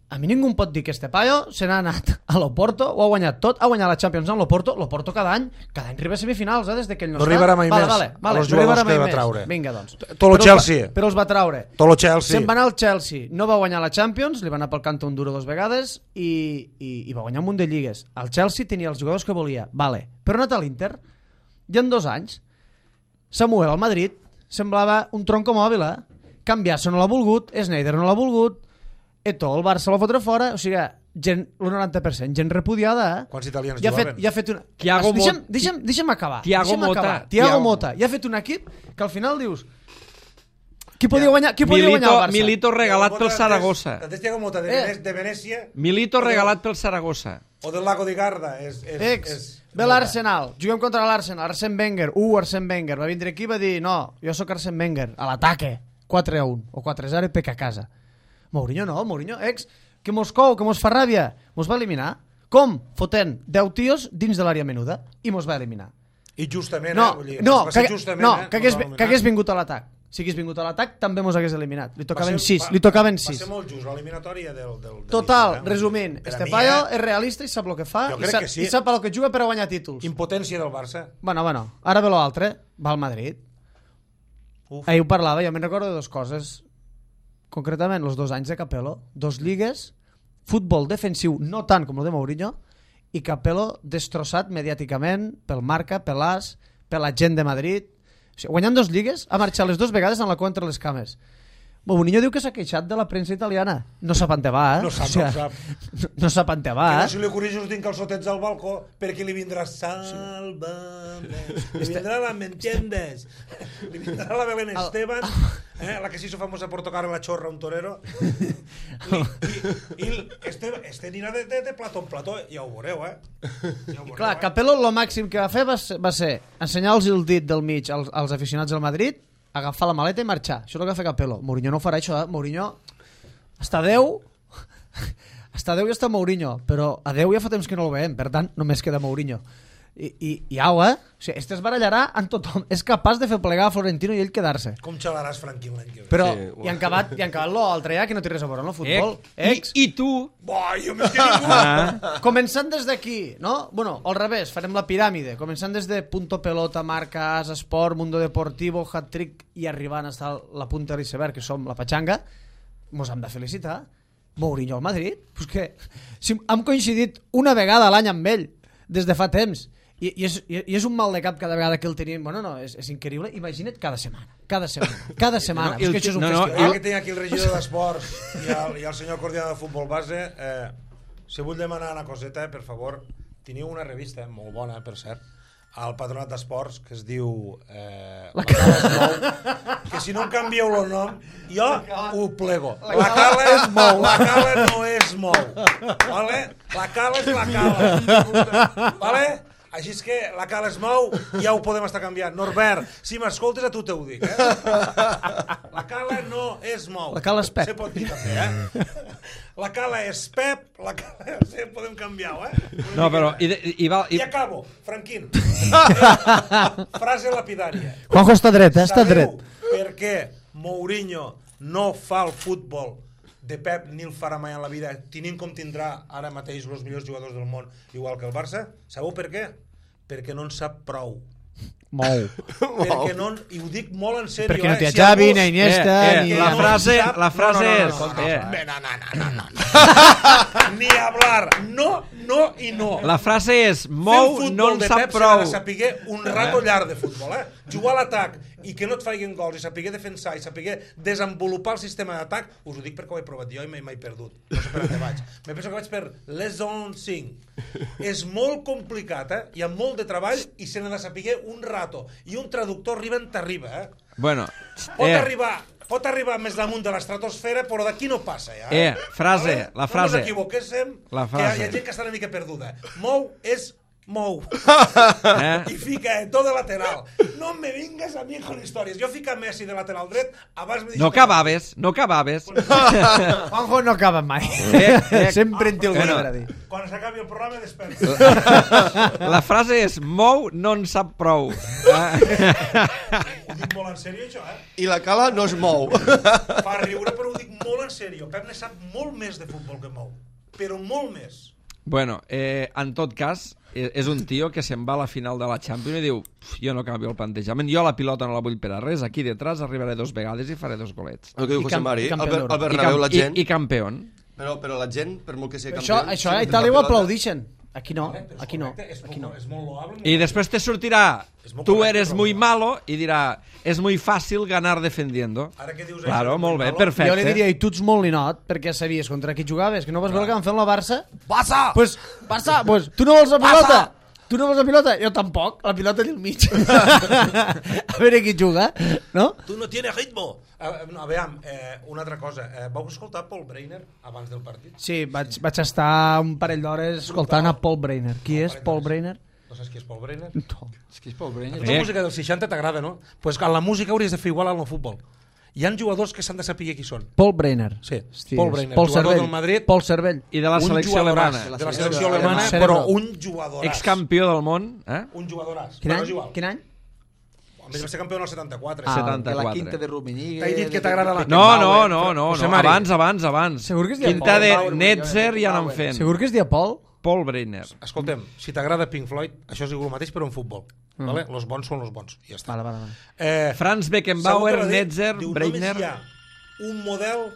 A mi ningú em pot dir que este paio se n'ha anat a l'Oporto, ho ha guanyat tot, ha guanyat la Champions amb l'Oporto cada any arriba a semifinals, des de que ell no està. No arribarà mai més a els jugadors que va traure. Vinga, doncs. Tot el Chelsea. Però els va traure. Tot el Chelsea. Se'n va anar al Chelsea, no va guanyar la Champions, li va anar pel canto un duro 2 vegades i va guanyar un munt de lligues. El Chelsea tenia els jugadors que volia, vale. Però ha anat a l'Inter i en 2 anys Samuel al Madrid semblava un tronco mòbil, Cambiasso no l'ha volgut, Sneijder no l'ha volgut, Eto'o el Barça la fotre fora, o sigui, gent, el 90%, gent repudiada, Quants italians jugaven? Ja ha fet una... Deixa'm acabar. Thiago Mota. Ja ha fet un equip que al final dius... Qui podia guanyar el Barça? Milito regalat pel Saragossa. Antes Thiago Mota de Venècia... Milito regalat pel Saragossa. O del Lago di Garda. Ve l'Arsenal, juguem contra l'Arsenal, Arsène Wenger, Arsène Wenger, va vindre aquí i va dir, no, jo sóc Arsène Wenger, a l'ataque, 4-1 o 4-0 i pec a casa. Mourinho, que mos cou, que mos fa ràbia, mos va eliminar. Com? Fotent 10 tios dins de l'àrea menuda i mos va eliminar. I justament, que hagués vingut a l'atac. Si hagués vingut a l'atac, també mos hagués eliminat. Li tocaven 6. Va ser molt just, l'eliminatòria del... Total, resumint, este paio és realista i sap el que fa i sap el que juga per a guanyar títols. Impotència del Barça. Bueno, ara ve l'altre, va al Madrid. Ahir ho parlava, jo me'n recordo de 2 coses. Concretament, els 2 anys de Capello, 2 lligues, futbol defensiu no tant com el de Mourinho, i Capello destrossat mediàticament pel Marca, per l'AS, per la gent de Madrid. O sigui, guanyant 2 lligues, ha marxat les 2 vegades en la cua entre les cames. Mourinho diu que s'ha queixat de la premsa italiana. No sap on te va, No sap, no sap. No sap on te va, Que no se li ocorreix us tinc calçotets al balcó perquè li vindrà Sálvame. Li vindrà la ¿me entiendes? Li vindrà la Belén Esteban, la que se hizo famosa por tocar la chorra a un torero. I este anirà de plató en plató, ja ho veureu, Clar, Capello lo màxim que va fer va ser ensenyar-los el dit del mig als aficionats del Madrid, agafar la maleta i marxar. Això és el que va fer Capello. Mourinho no ho farà, això. Mourinho està a Déu i està Mourinho, però a Déu ja fa temps que no el veiem, per tant només queda Mourinho. I au, O sigui, este es barallarà amb tothom. És capaç de fer plegar a Florentino i ell quedar-se. Com xalaràs Franquín l'any que ve? Però Sí, i han acabat l'altre ja, que no té res a veure amb el futbol. I tu? Jo més que ningú! Començant des d'aquí, no? Bueno, al revés, farem la piràmide. Començant des de Punto Pelota, Marca, As Esport, Mundo Deportivo, Hat-Trick i arribant a la punta de l'iceberg, que som la Pachanga, mos hem de felicitar. Mourinho al Madrid? Pues que si hem coincidit una vegada a l'any amb ell, des de fa temps, i és un mal de cap cada vegada que el tenim. Bueno, no, és increïble. Imagina't cada setmana. No, és que això és un festival. Ara que tinc aquí el regidor d'Esports i el senyor coordinador de futbol base, si vull demanar una coseta, per favor, teniu una revista molt bona, per cert, al Patronat d'Esports, que es diu La Cala es mou, que si no em canvieu el nom, jo ho plego. La Cala es mou, la Cala no es mou. Vale? La Cala és la Cala. Vale? Així és que la Cala es mou, ja ho podem estar canviant. Norbert, si m'escoltes a tu te ho dic, La Cala no es mou. La Cala és Pep. Se pot dir també, La Cala és Pep, la Cala... Sí, podem canviar-ho, No, però... I acabo, Franquín. Frase lapidària. Juanjo està dret, està dret. Sabeu per què Mourinho no fa el futbol de Pep ni el farà mai en la vida, tenint com tindrà ara mateix els millors jugadors del món, igual que el Barça? Sabeu per què? Perquè no en sap prou. Perquè no, i ho dic molt en sèrio, perquè no té Xavi, ni Iniesta, ni... La frase és... No. Ni hablar, no i no. La frase és mou, no en sap prou. Fer el futbol de Pep s'ha de saber un rato llarg de futbol, jugar a l'atac i que no et faiguen gols i saber defensar i saber desenvolupar el sistema d'atac. Us ho dic perquè ho he provat jo i m'he perdut, no sé per on vaig. Me penso que vaig per Lesson 5. És molt complicat, hi ha molt de treball i se n'ha de saber un rato, i un traductor arriba on t'arriba. Bueno, Pot arribar més damunt de l'estratosfera, però d'aquí no passa, ja. La frase. No ens equivoquéssim, que hi ha gent que està una mica perduda. Mou és mou. I fica tot de lateral. No me vingues a mi con històries. Jo fica Messi de lateral dret, abans me No acabaves. Juanjo no acaba mai. Sempre en té alguna cosa a dir. Quan s'acabi el programa, desperta. La frase és mou, no en sap prou. Ho dic molt en sèrio, això, I la Cala no es mou. Fa riure, però ho dic molt en sèrio. Pep ne sap molt més de futbol que mou. Però molt més. Bueno, en tot cas, és un tio que se'n va a la final de la Champions i diu, jo no canvio el plantejament, jo la pilota no la vull per a res, aquí detrás arribaré 2 vegades i faré 2 golets. El que diu José Mari, al campió Bernabéu la gent... I campió. Però la gent, per molt que sigui campió... Això a Itàlia ho aplaudixen. Aquí no. És molt loable. I després te sortirà, tu eres muy malo, i dirà, és muy fàcil ganar defendiendo. Ara que dius Claro, això, molt bé, perfecte. Jo li diria, i tu ets molt linot, perquè sabies contra qui jugaves, que no vas veure que van fer amb la Barça? Barça! Barça, pues tu no vols la pilota? Tu no vols la pilota? Jo tampoc, la pilota allà al mig. A veure qui juga, no? Tu no tienes ritmo. No, veiem, una altra cosa. Vau escoltar Paul Breiner abans del partit? Sí, vaig estar un parell d'hores escoltant a Paul Breiner. Qui és Paul Breiner? No saps qui és Paul Breiner? No. És que és Paul Breiner. La música dels 60 t'agrada, no? Doncs pues en la música hauries de fer igual al futbol. Hi ha jugadors que s'han de saber qui són. Paul Breiner. Sí, Hòsties. Paul Breiner, Paul jugador Cervell. del Madrid. Paul Cervell. I de la selecció alemana. De la selecció alemana, Cerebro. però un jugadoràs. Excampió del món. Un jugadoràs. Quin Però any? és igual. Quin any? A més va ser campió en el 74. Ah, 74. La quinta de Rummenigge... T'he dit que t'agrada la... No, José Mari. abans. Segur que es deia Quinta de Paul. Netzer ja n'han fent. Segur que es deia Paul? Paul Breiner. Escoltem, si t'agrada Pink Floyd, això és igual el mateix però en futbol. Vale? Los bons són los bons. I ja està. Vale. Franz Beckenbauer, Netzer, Breiner... Només hi ha un model,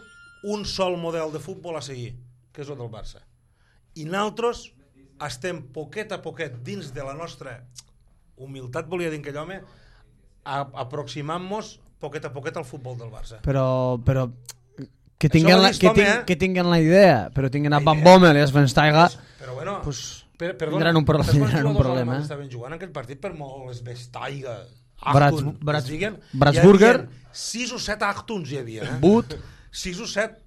un sol model de futbol a seguir, que és el del Barça. I nosaltres estem poquet a poquet dins de la nostra humilitat, volia dir aquell home, aproximant-nos poquet a poquet al futbol del Barça. Però que Això tinguin la idea, però tinguin a Van Bommel i a Schweinsteiger, Però bueno, pues, perdona, tindran un problema. Estaven jugant aquell partit per molt Schweinsteiger, Bratsburger, 6 o 7 Achtuns hi havia. But, 6 o 7.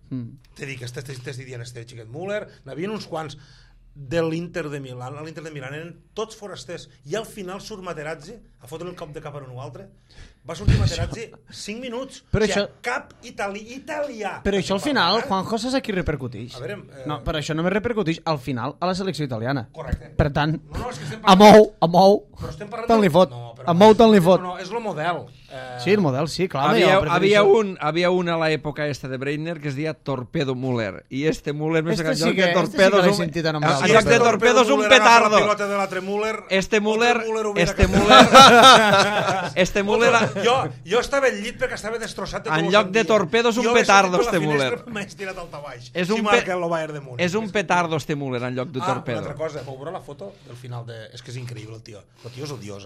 Te dic, t'estic dient este xiquet Müller, n'havien uns quants de l'Inter de Milán. A l'Inter de Milán eren tots forasters. I al final surt Materazzi a fotre el cop de cap a un altre. Va sortir Materazzi 5 minuts. Però o sigui, això... cap italià. Però això al final, Juanjo, saps a qui repercuteix? A veure, No, però això només repercuteix al final a la selecció italiana. Correcte. Per tant, és que estem mou, però estem parlant tant li fot. No, A mou tant li fot. No, és el model. Sí, el model, sí, clar. Havia un a l'època esta de Breitner que es deia Torpedo Müller. I este Müller, en lloc de Torpedo, és un petardo. Este Müller... Jo estava al llit perquè estava destrossat. En lloc de Torpedo és un petardo, este Müller. M'haig tirat al tabaix. És un petardo, este Müller, en lloc de Torpedo. Una altra cosa, vau veure la foto del final de... És que és increïble, el tio. El tio és odiós,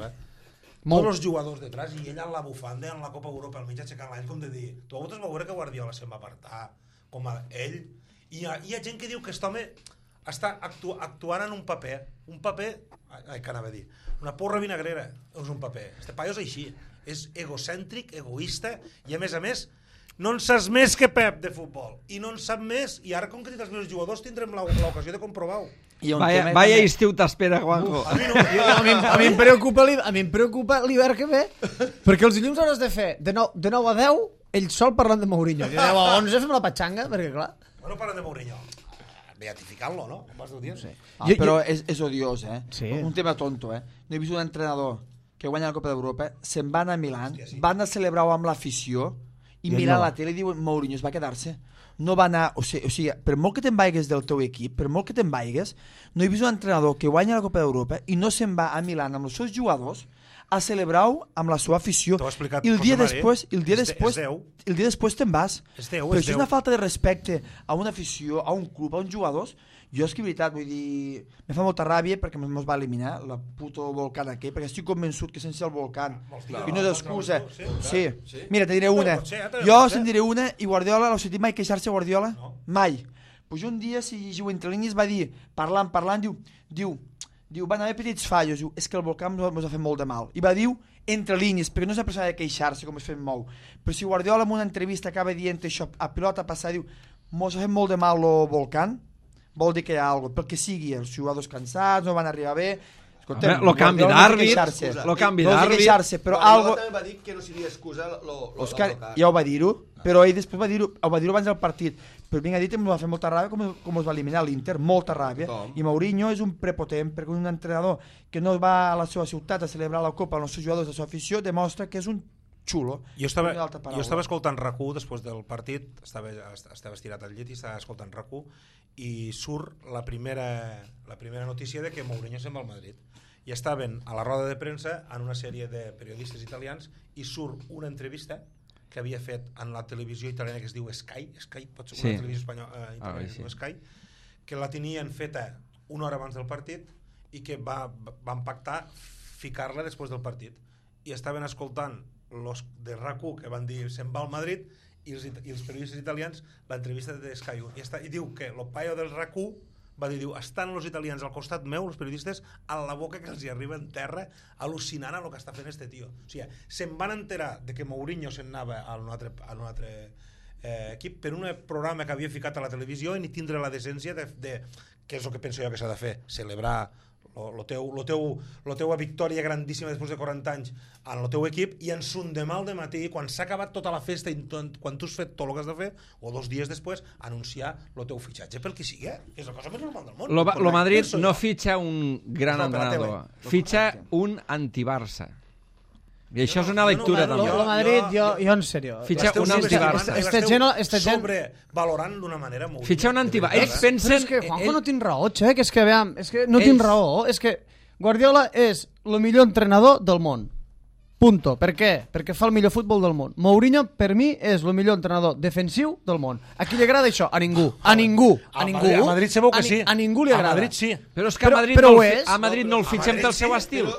Tots els jugadors detrás i ell en la bufanda, en la Copa Europa, al mig aixecant l'any, com de dir... Tu a vosaltres vau veure que Guardiola se'n va apartar, com a ell. I hi ha gent que diu que aquest home està actuant en un paper. Que anava a dir? Una porra vinagrera és un paper. Este paio és així. És egocèntric, egoista, i a més, no en saps més que Pep de futbol. I no en sap més. I ara, com que he dit els meus jugadors, tindrem l'ocasió de comprovar-ho. Vaya estiu t'espera, Juanjo. A mi em preocupa l'hivern que ve, perquè els dilluns hauràs de fer de 9 a 10 ell sol parlant de Mourinho. De 10 a 11 fem la patxanga, perquè clar... Bueno, parlant de Mourinho, beatificant-lo, no? Com vas dir? Sí. Però és odiós, Sí. Un tema tonto, No he vist un entrenador que guanya la Copa d'Europa, se'n van a Milán, van a celebrar-ho amb l'afició, i mirar la tele i diuen Mourinho es va quedar-se. No va anar, o sigui, per molt que te'n vaigues del teu equip, per molt que te'n vaigues, no he vist un entrenador que guanya la Copa d'Europa i no se'n va a Milán amb els seus jugadors a celebrar-ho amb la seva afició. I el dia després te'n vas. Però això és una falta de respecte a una afició, a un club, a uns jugadors. Jo és que, veritat, vull dir, me fa molta ràbia perquè ens va eliminar la puto volcán aquell, perquè estic convençut que sense el volcán i no és excusa. Sí. Mira, te diré una. Jo se'n diré una i Guardiola, l'heu sentit mai queixar-se Guardiola? Mai. Pues un dia, si llegiu entre línies, va dir, parlant, diu, van haver petits fallos, diu, és que el volcán ens ha fet molt de mal. I va dir, entre línies, perquè no és una persona de queixar-se com es fet molt. Però si Guardiola en una entrevista acaba dient això a pilota passada, diu, ens ha fet molt de mal el volcán, vol dir que hi ha alguna cosa, perquè sigui els jugadors cansats, no van arribar bé. Lo canvi d'àrbit, però algo també va dir que no seria excusa Òscar ja ho va dir-ho, però ell després va dir-ho abans del partit, però vinc a dir que em va fer molta ràbia com es va eliminar l'Inter, molta ràbia, i Mourinho és un prepotent perquè un entrenador que no va a la seva ciutat a celebrar la Copa amb els seus jugadors de la seva afició demostra que és un xulo. Jo estava escoltant RAC1 després del partit, estava estirat al llit i estava escoltant RAC1 i surt la primera notícia de que Mourinho se'n va al Madrid. I estaven a la roda de premsa en una sèrie de periodistes italians i surt una entrevista que havia fet en la televisió italiana que es diu Sky, pot ser una televisió espanyola italiana que es diu Sky, que la tenien feta una hora abans del partit i que van pactar ficar-la després del partit. I estaven escoltant los de RAC1 que van dir se'n va al Madrid i els periodistes italians l'entrevista de Sky 1 i diu que el paio del RAC1 va dir, estan els italians al costat meu, els periodistes, a la boca que els hi arriba en terra al·lucinant a el que està fent este tio. O sigui, se'n van enterar de que Mourinho se'n anava a un altre equip per un programa que havia ficat a la televisió i ni tindre la decència de què és el que penso jo que s'ha de fer, celebrar la teua victòria grandíssima després de 40 anys en el teu equip i en son demà al dematí, quan s'ha acabat tota la festa i quan tu has fet tot el que has de fer, o 2 dies després, anunciar el teu fitxatge pel que sigui, és la cosa més normal del món. Lo Madrid no fitxa un gran entrenador, fitxa un anti-Barça. I això és una lectura també. El Madrid, jo en sèrio. Fitxa un anti-Barça. Valorant d'una manera molt... Fitxa un anti-Barça. Ells pensen... Però és que Juanjo no tinc raó, Xec, és que no tinc raó. És que Guardiola és el millor entrenador del món. Punto. Per què? Perquè fa el millor futbol del món. Mourinho, per mi, és el millor entrenador defensiu del món. A qui li agrada això? A ningú. A ningú. A ningú. A Madrid segur que sí. A ningú li agrada. A Madrid sí. Però és que a Madrid no el fitxem pel seu estil.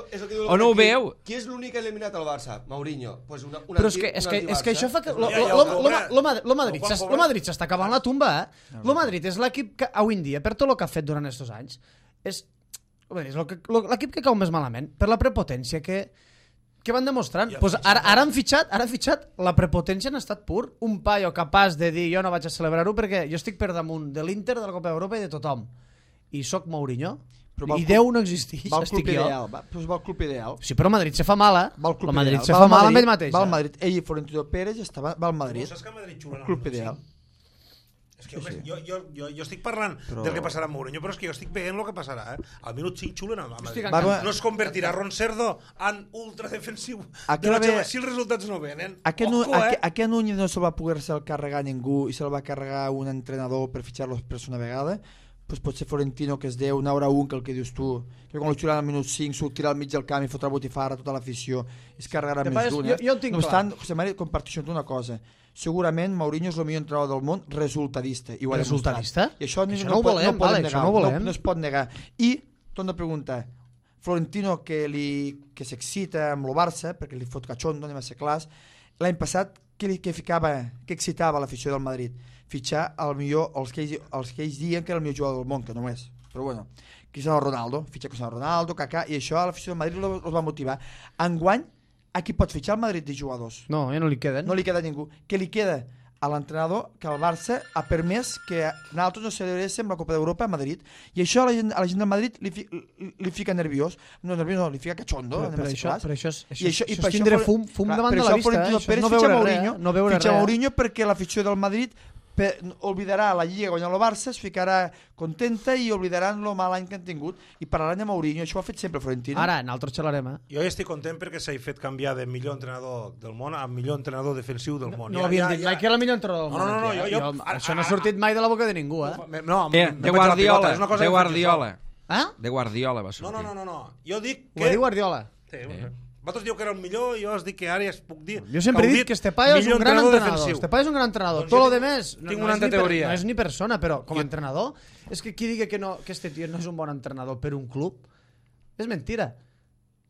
O no ho veu? Qui és l'únic eliminat al Barça? Mourinho. Pues però és que això fa que... Lo Madrid s'està acabant la tumba, eh? Lo Madrid és l'equip que, avui en dia, per tot el que ha fet durant aquests anys, és l'equip que cau més malament, per la prepotència que van demostrant. Pues ara han fitxat la prepotència en estat pur. Un paio capaç de dir jo no vaig a celebrar-ho perquè jo estic per damunt de l'Inter, de la Copa d'Europa i de tothom. I sóc Mourinho. I Déu no existeix. Va al club ideal. Va al club ideal. Sí, però Madrid se fa mala. El Madrid se fa mala amb ell mateix. Va al Madrid. Ell i Florentino Pérez va al Madrid. Saps que Madrid xula el club ideal. És que jo estic parlant del que passarà amb Mourinho, però és que jo estic veient el que passarà. Al minut 5 xulen a Madrid. No es convertirà Ron Cerdo en ultradefensiu de la Xavier si els resultats no venen. Aquest Núñez no se'l va poder-se carregar ningú i se'l va carregar un entrenador per fitxar-lo per una vegada. Pues pot ser Florentino, que es deu una hora un, que el que dius tu, que quan el xulen al minut 5 sortirà al mig del camp i fotrà botifarra a tota l'afició i es carregarà més d'un. Jo tinc clar. José María, comparteixo una cosa. Segurament Mourinho és el millor entrenador del món resultadista. I resultadista? I això no ho volem, no es pot negar. I, torno a preguntar, Florentino que s'excita amb el Barça, perquè li fot cachondo, anem a ser clars, l'any passat què excitava l'afició del Madrid? Fitxar el millor, els que ells diuen que era el millor jugador del món, que no és, però bueno, Cristiano Ronaldo, fitxar Cristiano Ronaldo, Kaká, i això a l'afició del Madrid els va motivar. Enguany, a qui pot fitxar el Madrid de jugadors? No, ja no li queden. No li queda ningú. Què li queda? A l'entrenador que el Barça ha permès que nosaltres no celebréssim la Copa d'Europa a Madrid, i això a la gent del Madrid li fica nerviós, no, li fica cachondo. Però això és tindre fum davant de la vista. Això és no veure Mourinho, fitxa Mourinho perquè l'afició del Madrid oblidarà la Lliga guanyant el Barça, es ficarà contenta i oblidaran el mal any que han tingut i parlaran de Mourinho. Això ho ha fet sempre Florentino. Ara, nosaltres xalarem, Jo estic content perquè s'ha fet canviar de millor entrenador del món a millor entrenador defensiu del món. No havíem dit mai que era el millor entrenador del món. No, això no ha sortit mai de la boca de ningú, No, de Guardiola. De Guardiola va sortir. No. Jo dic que... Ho va dir Guardiola. Vosaltres diu que era el millor i jo us dic que ara ja es puc dir... Jo sempre he dit que este paio és un gran entrenador. Este paio és un gran entrenador. Tot lo demés tinc una altra teoria. No és ni persona, però com a entrenador, és que qui digui que este tio no és un bon entrenador per un club, és mentira.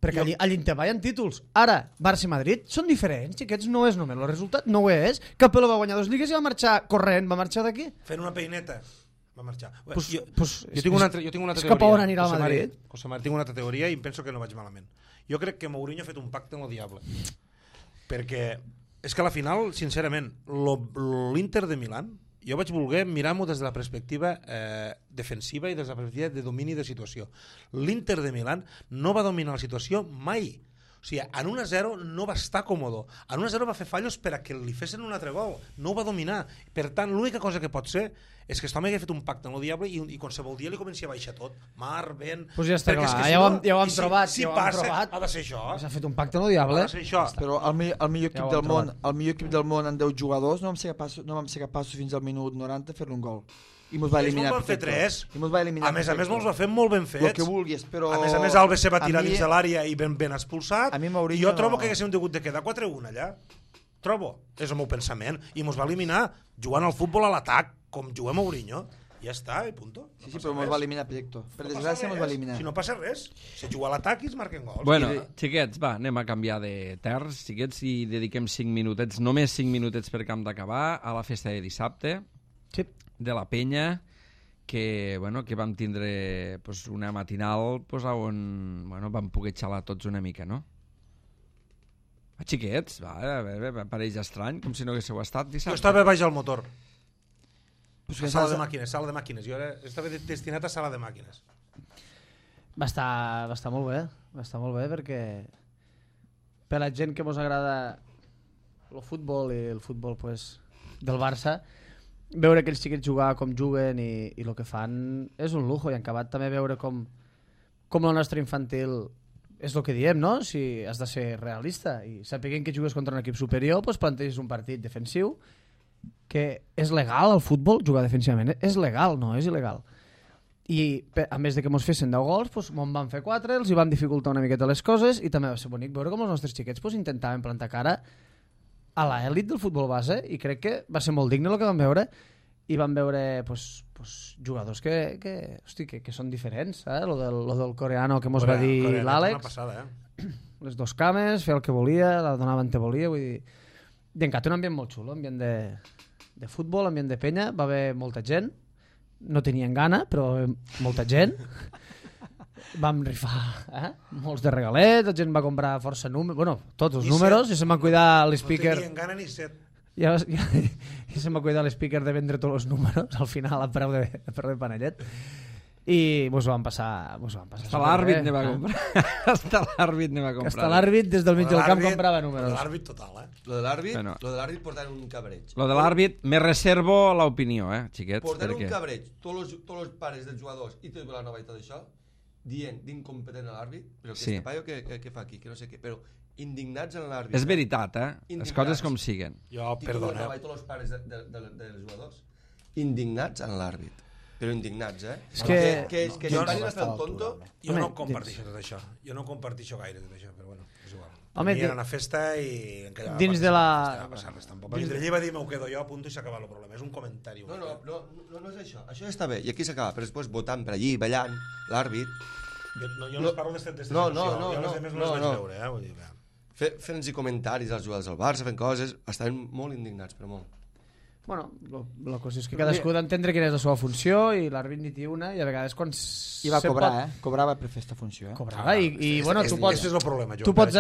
Perquè a l'Inter hi ha títols. Ara, Barça i Madrid són diferents, i aquests no és només el resultat, no ho és. Capello va guanyar 2 lligues i va marxar corrent, va marxar d'aquí. Fent una peineta. Va marxar. Jo tinc una altra teoria. És cap a on anirà al Madrid? José María, tinc una altra teoria i em penso que no vaig malament. Jo crec que Mourinho ha fet un pacte amb el diable. Perquè és que a la final, sincerament, l'Inter de Milán, jo vaig voler mirar-m'ho des de la perspectiva defensiva i des de la perspectiva de domini de situació. L'Inter de Milán no va dominar la situació mai. O sigui, en 1-0 no va estar còmodo. En 1-0 va fer fallos per a que li fessin un altre gol. No ho va dominar. Per tant, l'única cosa que pot ser és que aquest home hagués fet un pacte amb el diable i qualsevol dia li comencia a baixar tot. Mar, vent... Pues ja està clar, ja ho hem trobat. Si passa, ha de ser això. S'ha fet un pacte amb el diable. Ha de ser això. Però el millor equip del món en 10 jugadors no vam ser capaços fins al minut 90 de fer-li un gol. I mos va eliminar. Fer 3. A més mos va fer molt ben fets. El que vulguis, però... A més Alves se va tirar dins de l'àrea i ben expulsat. I jo trobo que haguéssim hagut de quedar 4-1 allà. Trobo. És el meu pensament. I mos va eliminar jugant al futbol a l'atac, com juga Mourinho. Ja està, i punto. Sí, però mos va eliminar Projecto. Per desgràcia mos va eliminar. Si no passa res, se juga a l'atac i es marquen gols. Bueno, xiquets, va, anem a canviar de terç, xiquets, i dediquem 5 minutets, només 5 minutets per camp d'acabar, a la festa de dissabte, de la Penya, que vam tindre una matinal on vam poder xalar tots una mica, no? Xiquets, pareix estrany, com si no haguéssiu estat dissabte. Jo estava baix al motor. Sala de màquines. Jo estava destinat a sala de màquines. Va estar molt bé, perquè per la gent que mos agrada el futbol i el futbol del Barça, veure aquells xiquets jugar com juguen i el que fan és un lujo, i en acabat també veure com la nostra infantil és el que diem, no? Si has de ser realista i sapiguem que jugues contra un equip superior, planteges un partit defensiu, que és legal al futbol jugar defensivament, és legal, no és il·legal. I a més de que mos fessin 10 gols, doncs me'n van fer 4, els hi van dificultar una miqueta les coses i també va ser bonic veure com els nostres xiquets doncs, intentaven plantar cara a l'elit del futbol base i crec que va ser molt digne el que van veure i van veure jugadors que són diferents, lo del coreano que mos va dir l'Àlex, les 2 cames, fer el que volia, la donava on te volia, vull dir, i encara un ambient molt xulo, ambient de futbol, ambient de penya, va haver molta gent, no tenien gana, però molta gent. Vam rifar molts de regalets, la gent va comprar força números, bueno, tots els números, i se'm va cuidar l'speaker. No tenien gana ni set. I se'm va cuidar l'speaker de vendre tots els números, al final a preu de panellet. I mos van passar hasta l'àrbit ne va comprar. Hasta l'àrbit ne va comprar. Hasta l'àrbit des del mig del camp comprava números. L'àrbit total, Lo de l'àrbit portant un cabreig. Lo de l'àrbit me reservo l'opinió, xiquets. Portant un cabreig, tots els pares dels jugadors i tot la nova i tot això, dient d'incompetent a l'àrbit, però que este paio que fa aquí, que no sé què, però indignats en l'àrbit. És veritat, les coses com siguen. Jo, perdona. I tots els pares dels jugadors indignats en l'àrbit. Però indignats, És que no van a fer el tonto. Jo no comparteixo tot això. Jo no comparteixo gaire tot això, però bueno, és igual. Home, era una festa i... Dins de la... Va passar res, tampoc. L'Indrellí va dir, m'ho quedo jo, a punt i s'acaba el problema. És un comentari. No és això. Això ja està bé. I aquí s'acaba. Però després votant per allí, ballant, l'àrbit... Jo no es parlo d'esta situació. Jo les demés no les vaig veure, vull dir, fent-nos comentaris als jugadors del Barça, fent coses, estaven molt indignats, però molt. Bueno, la cosa és que cadascú ha d'entendre quina és la seva funció i l'àrbit ni té una i a vegades quan... I va cobrar, cobrava per fer aquesta funció. Cobrava i bueno, tu pots... és el problema, tu pots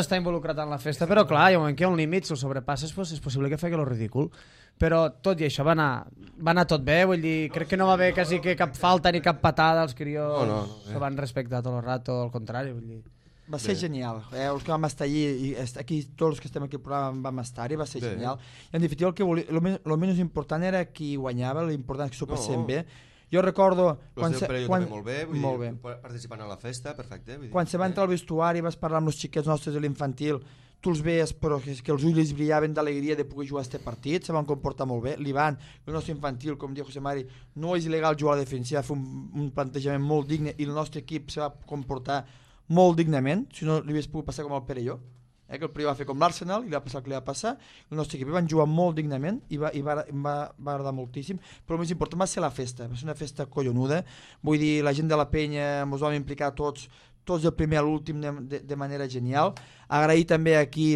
estar involucrat en la festa, però clar, hi ha un moment que hi ha un límit, si el sobrepasses és possible que faci lo ridícul. Però tot i això va anar tot bé, vull dir, crec que no va haver quasi que cap falta ni cap patada, els crios se van respectar tot el rato, al contrari, vull dir. Va ser genial, els que vam estar allí, i aquí tots els que estem aquí al programa vam estar-hi, va ser genial. I en definitiva el menys important era qui guanyava, l'important és que s'ho passem bé. Jo recordo... Molt bé, vull dir, participant a la festa, perfecte. Quan se va entrar al vestuari vas parlar amb els xiquets nostres de l'infantil, tu els veies però que els ulls brillaven d'alegria de poder jugar a aquest partit, se van comportar molt bé. L'Ivan, el nostre infantil, com diu José Mari, no és il·legal jugar a la defensiva, va fer un plantejament molt digne i el nostre equip se va comportar molt dignament, si no li hagués pogut passar com el Perelló, que el Perelló va fer com l'Arsenal i li va passar el que li va passar, el nostre equip van jugar molt dignament i va agradar moltíssim, però el més important va ser la festa, va ser una festa collonuda, vull dir, la gent de la penya ens vam implicar tots del primer a l'últim de manera genial. Agrair també aquí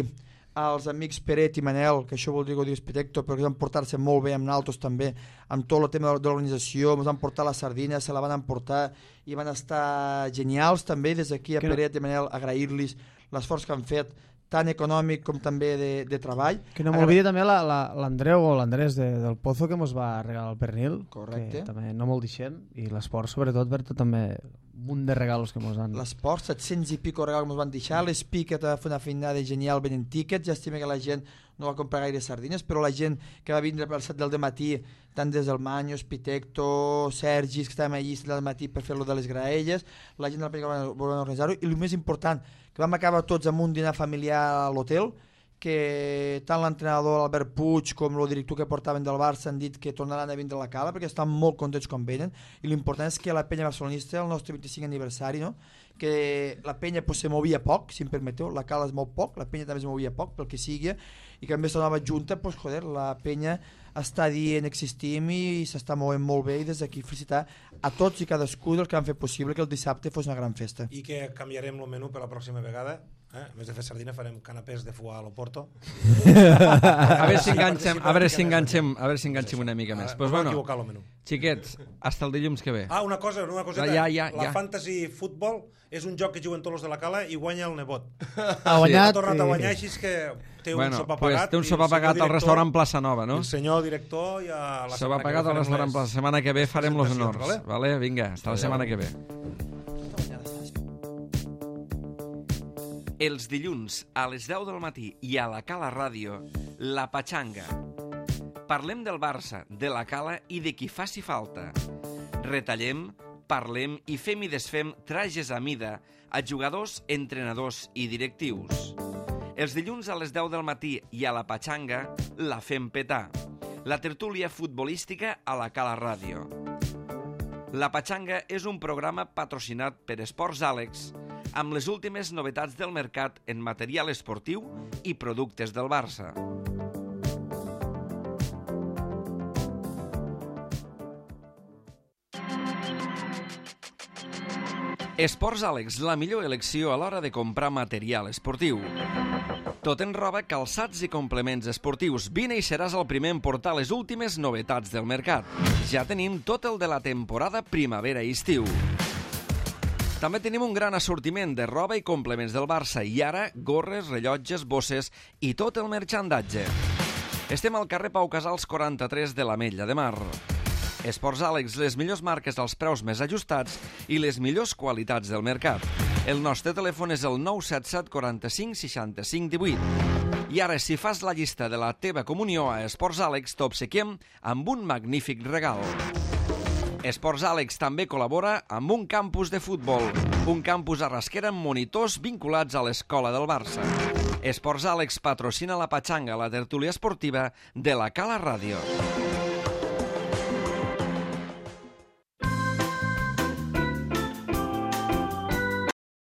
als amics Peret i Manel, que això vol dir que ho digues Pitecto, però que van portar-se molt bé amb naltros també, amb tot el tema de l'organització, ens van portar la sardina, se la van emportar i van estar genials també. Des d'aquí a Peret i Manel agrair-los l'esforç que han fet, tant econòmic com també de treball. Que no m'oblidi també l'Andreu o l'Andrés del Pozo que ens va regalar el pernil. Correcte. Que també no molt deixem, i l'esport sobretot per tot també un munt de regalos que ens han... L'esport, 700 i pico regals que ens van deixar, l'Spiket va fer una feinada genial venent tíquets, llàstima que la gent no va comprar gaire sardines, però la gent que va vindre per 7 del matí, tant des del Manyos, Pitecto, Sergis, que estàvem allí 7 del matí per fer-lo de les graelles, la gent de la pel·lícula va organitzar-ho, i el més important, que vam acabar tots amb un dinar familiar a l'hotel, que tant l'entrenador Albert Puig com el director que portaven del Barça han dit que tornaran a vindre a la Cala perquè estan molt contents com venen, i l'important és que la penya barcelonista, el nostre 25 aniversari, no? Que la penya pues, se movia poc, si em permeteu, la Cala es mou poc, la penya també es movia poc, pel que sigui, i que a més la nova junta, pues, joder, la penya està dient existim i s'està movent molt bé, i des d'aquí felicitar a tots i cadascú dels que han fet possible que el dissabte fos una gran festa. I que canviarem el menú per la pròxima vegada. A més de fer sardina farem canapés de foie a l'Oporto. A veure si enganxem una mica més. Pues bueno, equivocar el menú. Xiquets, hasta el dilluns que ve. Una coseta. La Fantasy Football és un joc que juguen tots els de la Cala i guanya el nebot. Ha guanyat. Ha tornat a guanyar, així que té un sopar pagat. Té un sopar pagat al restaurant Plaça Nova, no? El senyor director ja la setmana que ve. Sopar pagat al restaurant Plaça. La setmana que ve farem els honors. Vinga, hasta la setmana que ve. Els dilluns a les 10 del matí i a la Cala Ràdio, La Patxanga. Parlem del Barça, de la Cala i de qui faci falta. Retallem, parlem i fem i desfem trajes a mida a jugadors, entrenadors i directius. Els dilluns a les 10 del matí i a La Patxanga la fem petar. La tertúlia futbolística a la Cala Ràdio. La Patxanga és un programa patrocinat per Esports Àlex, amb les últimes novetats del mercat en material esportiu i productes del Barça. Esports Àlex, la millor elecció a l'hora de comprar material esportiu. Tot en roba, calçats i complements esportius. Vine i seràs el primer en portar les últimes novetats del mercat. Ja tenim tot el de la temporada primavera i estiu. També tenim un gran assortiment de roba i complements del Barça i ara gorres, rellotges, bosses i tot el marxandatge. Estem al carrer Pau Casals 43 de l'Ametlla de Mar. Esports Àlex, les millors marques als preus més ajustats i les millors qualitats del mercat. El nostre telèfon és el 977 45 65 18. I ara, si fas la llista de la teva comunió a Esports Àlex, t'obsequiem amb un magnífic regal. Esports Àlex també col·labora amb un campus de futbol, un campus a Rasquera amb monitors vinculats a l'escola del Barça. Esports Àlex patrocina la Patxanga, la tertúlia esportiva de la Cala Ràdio.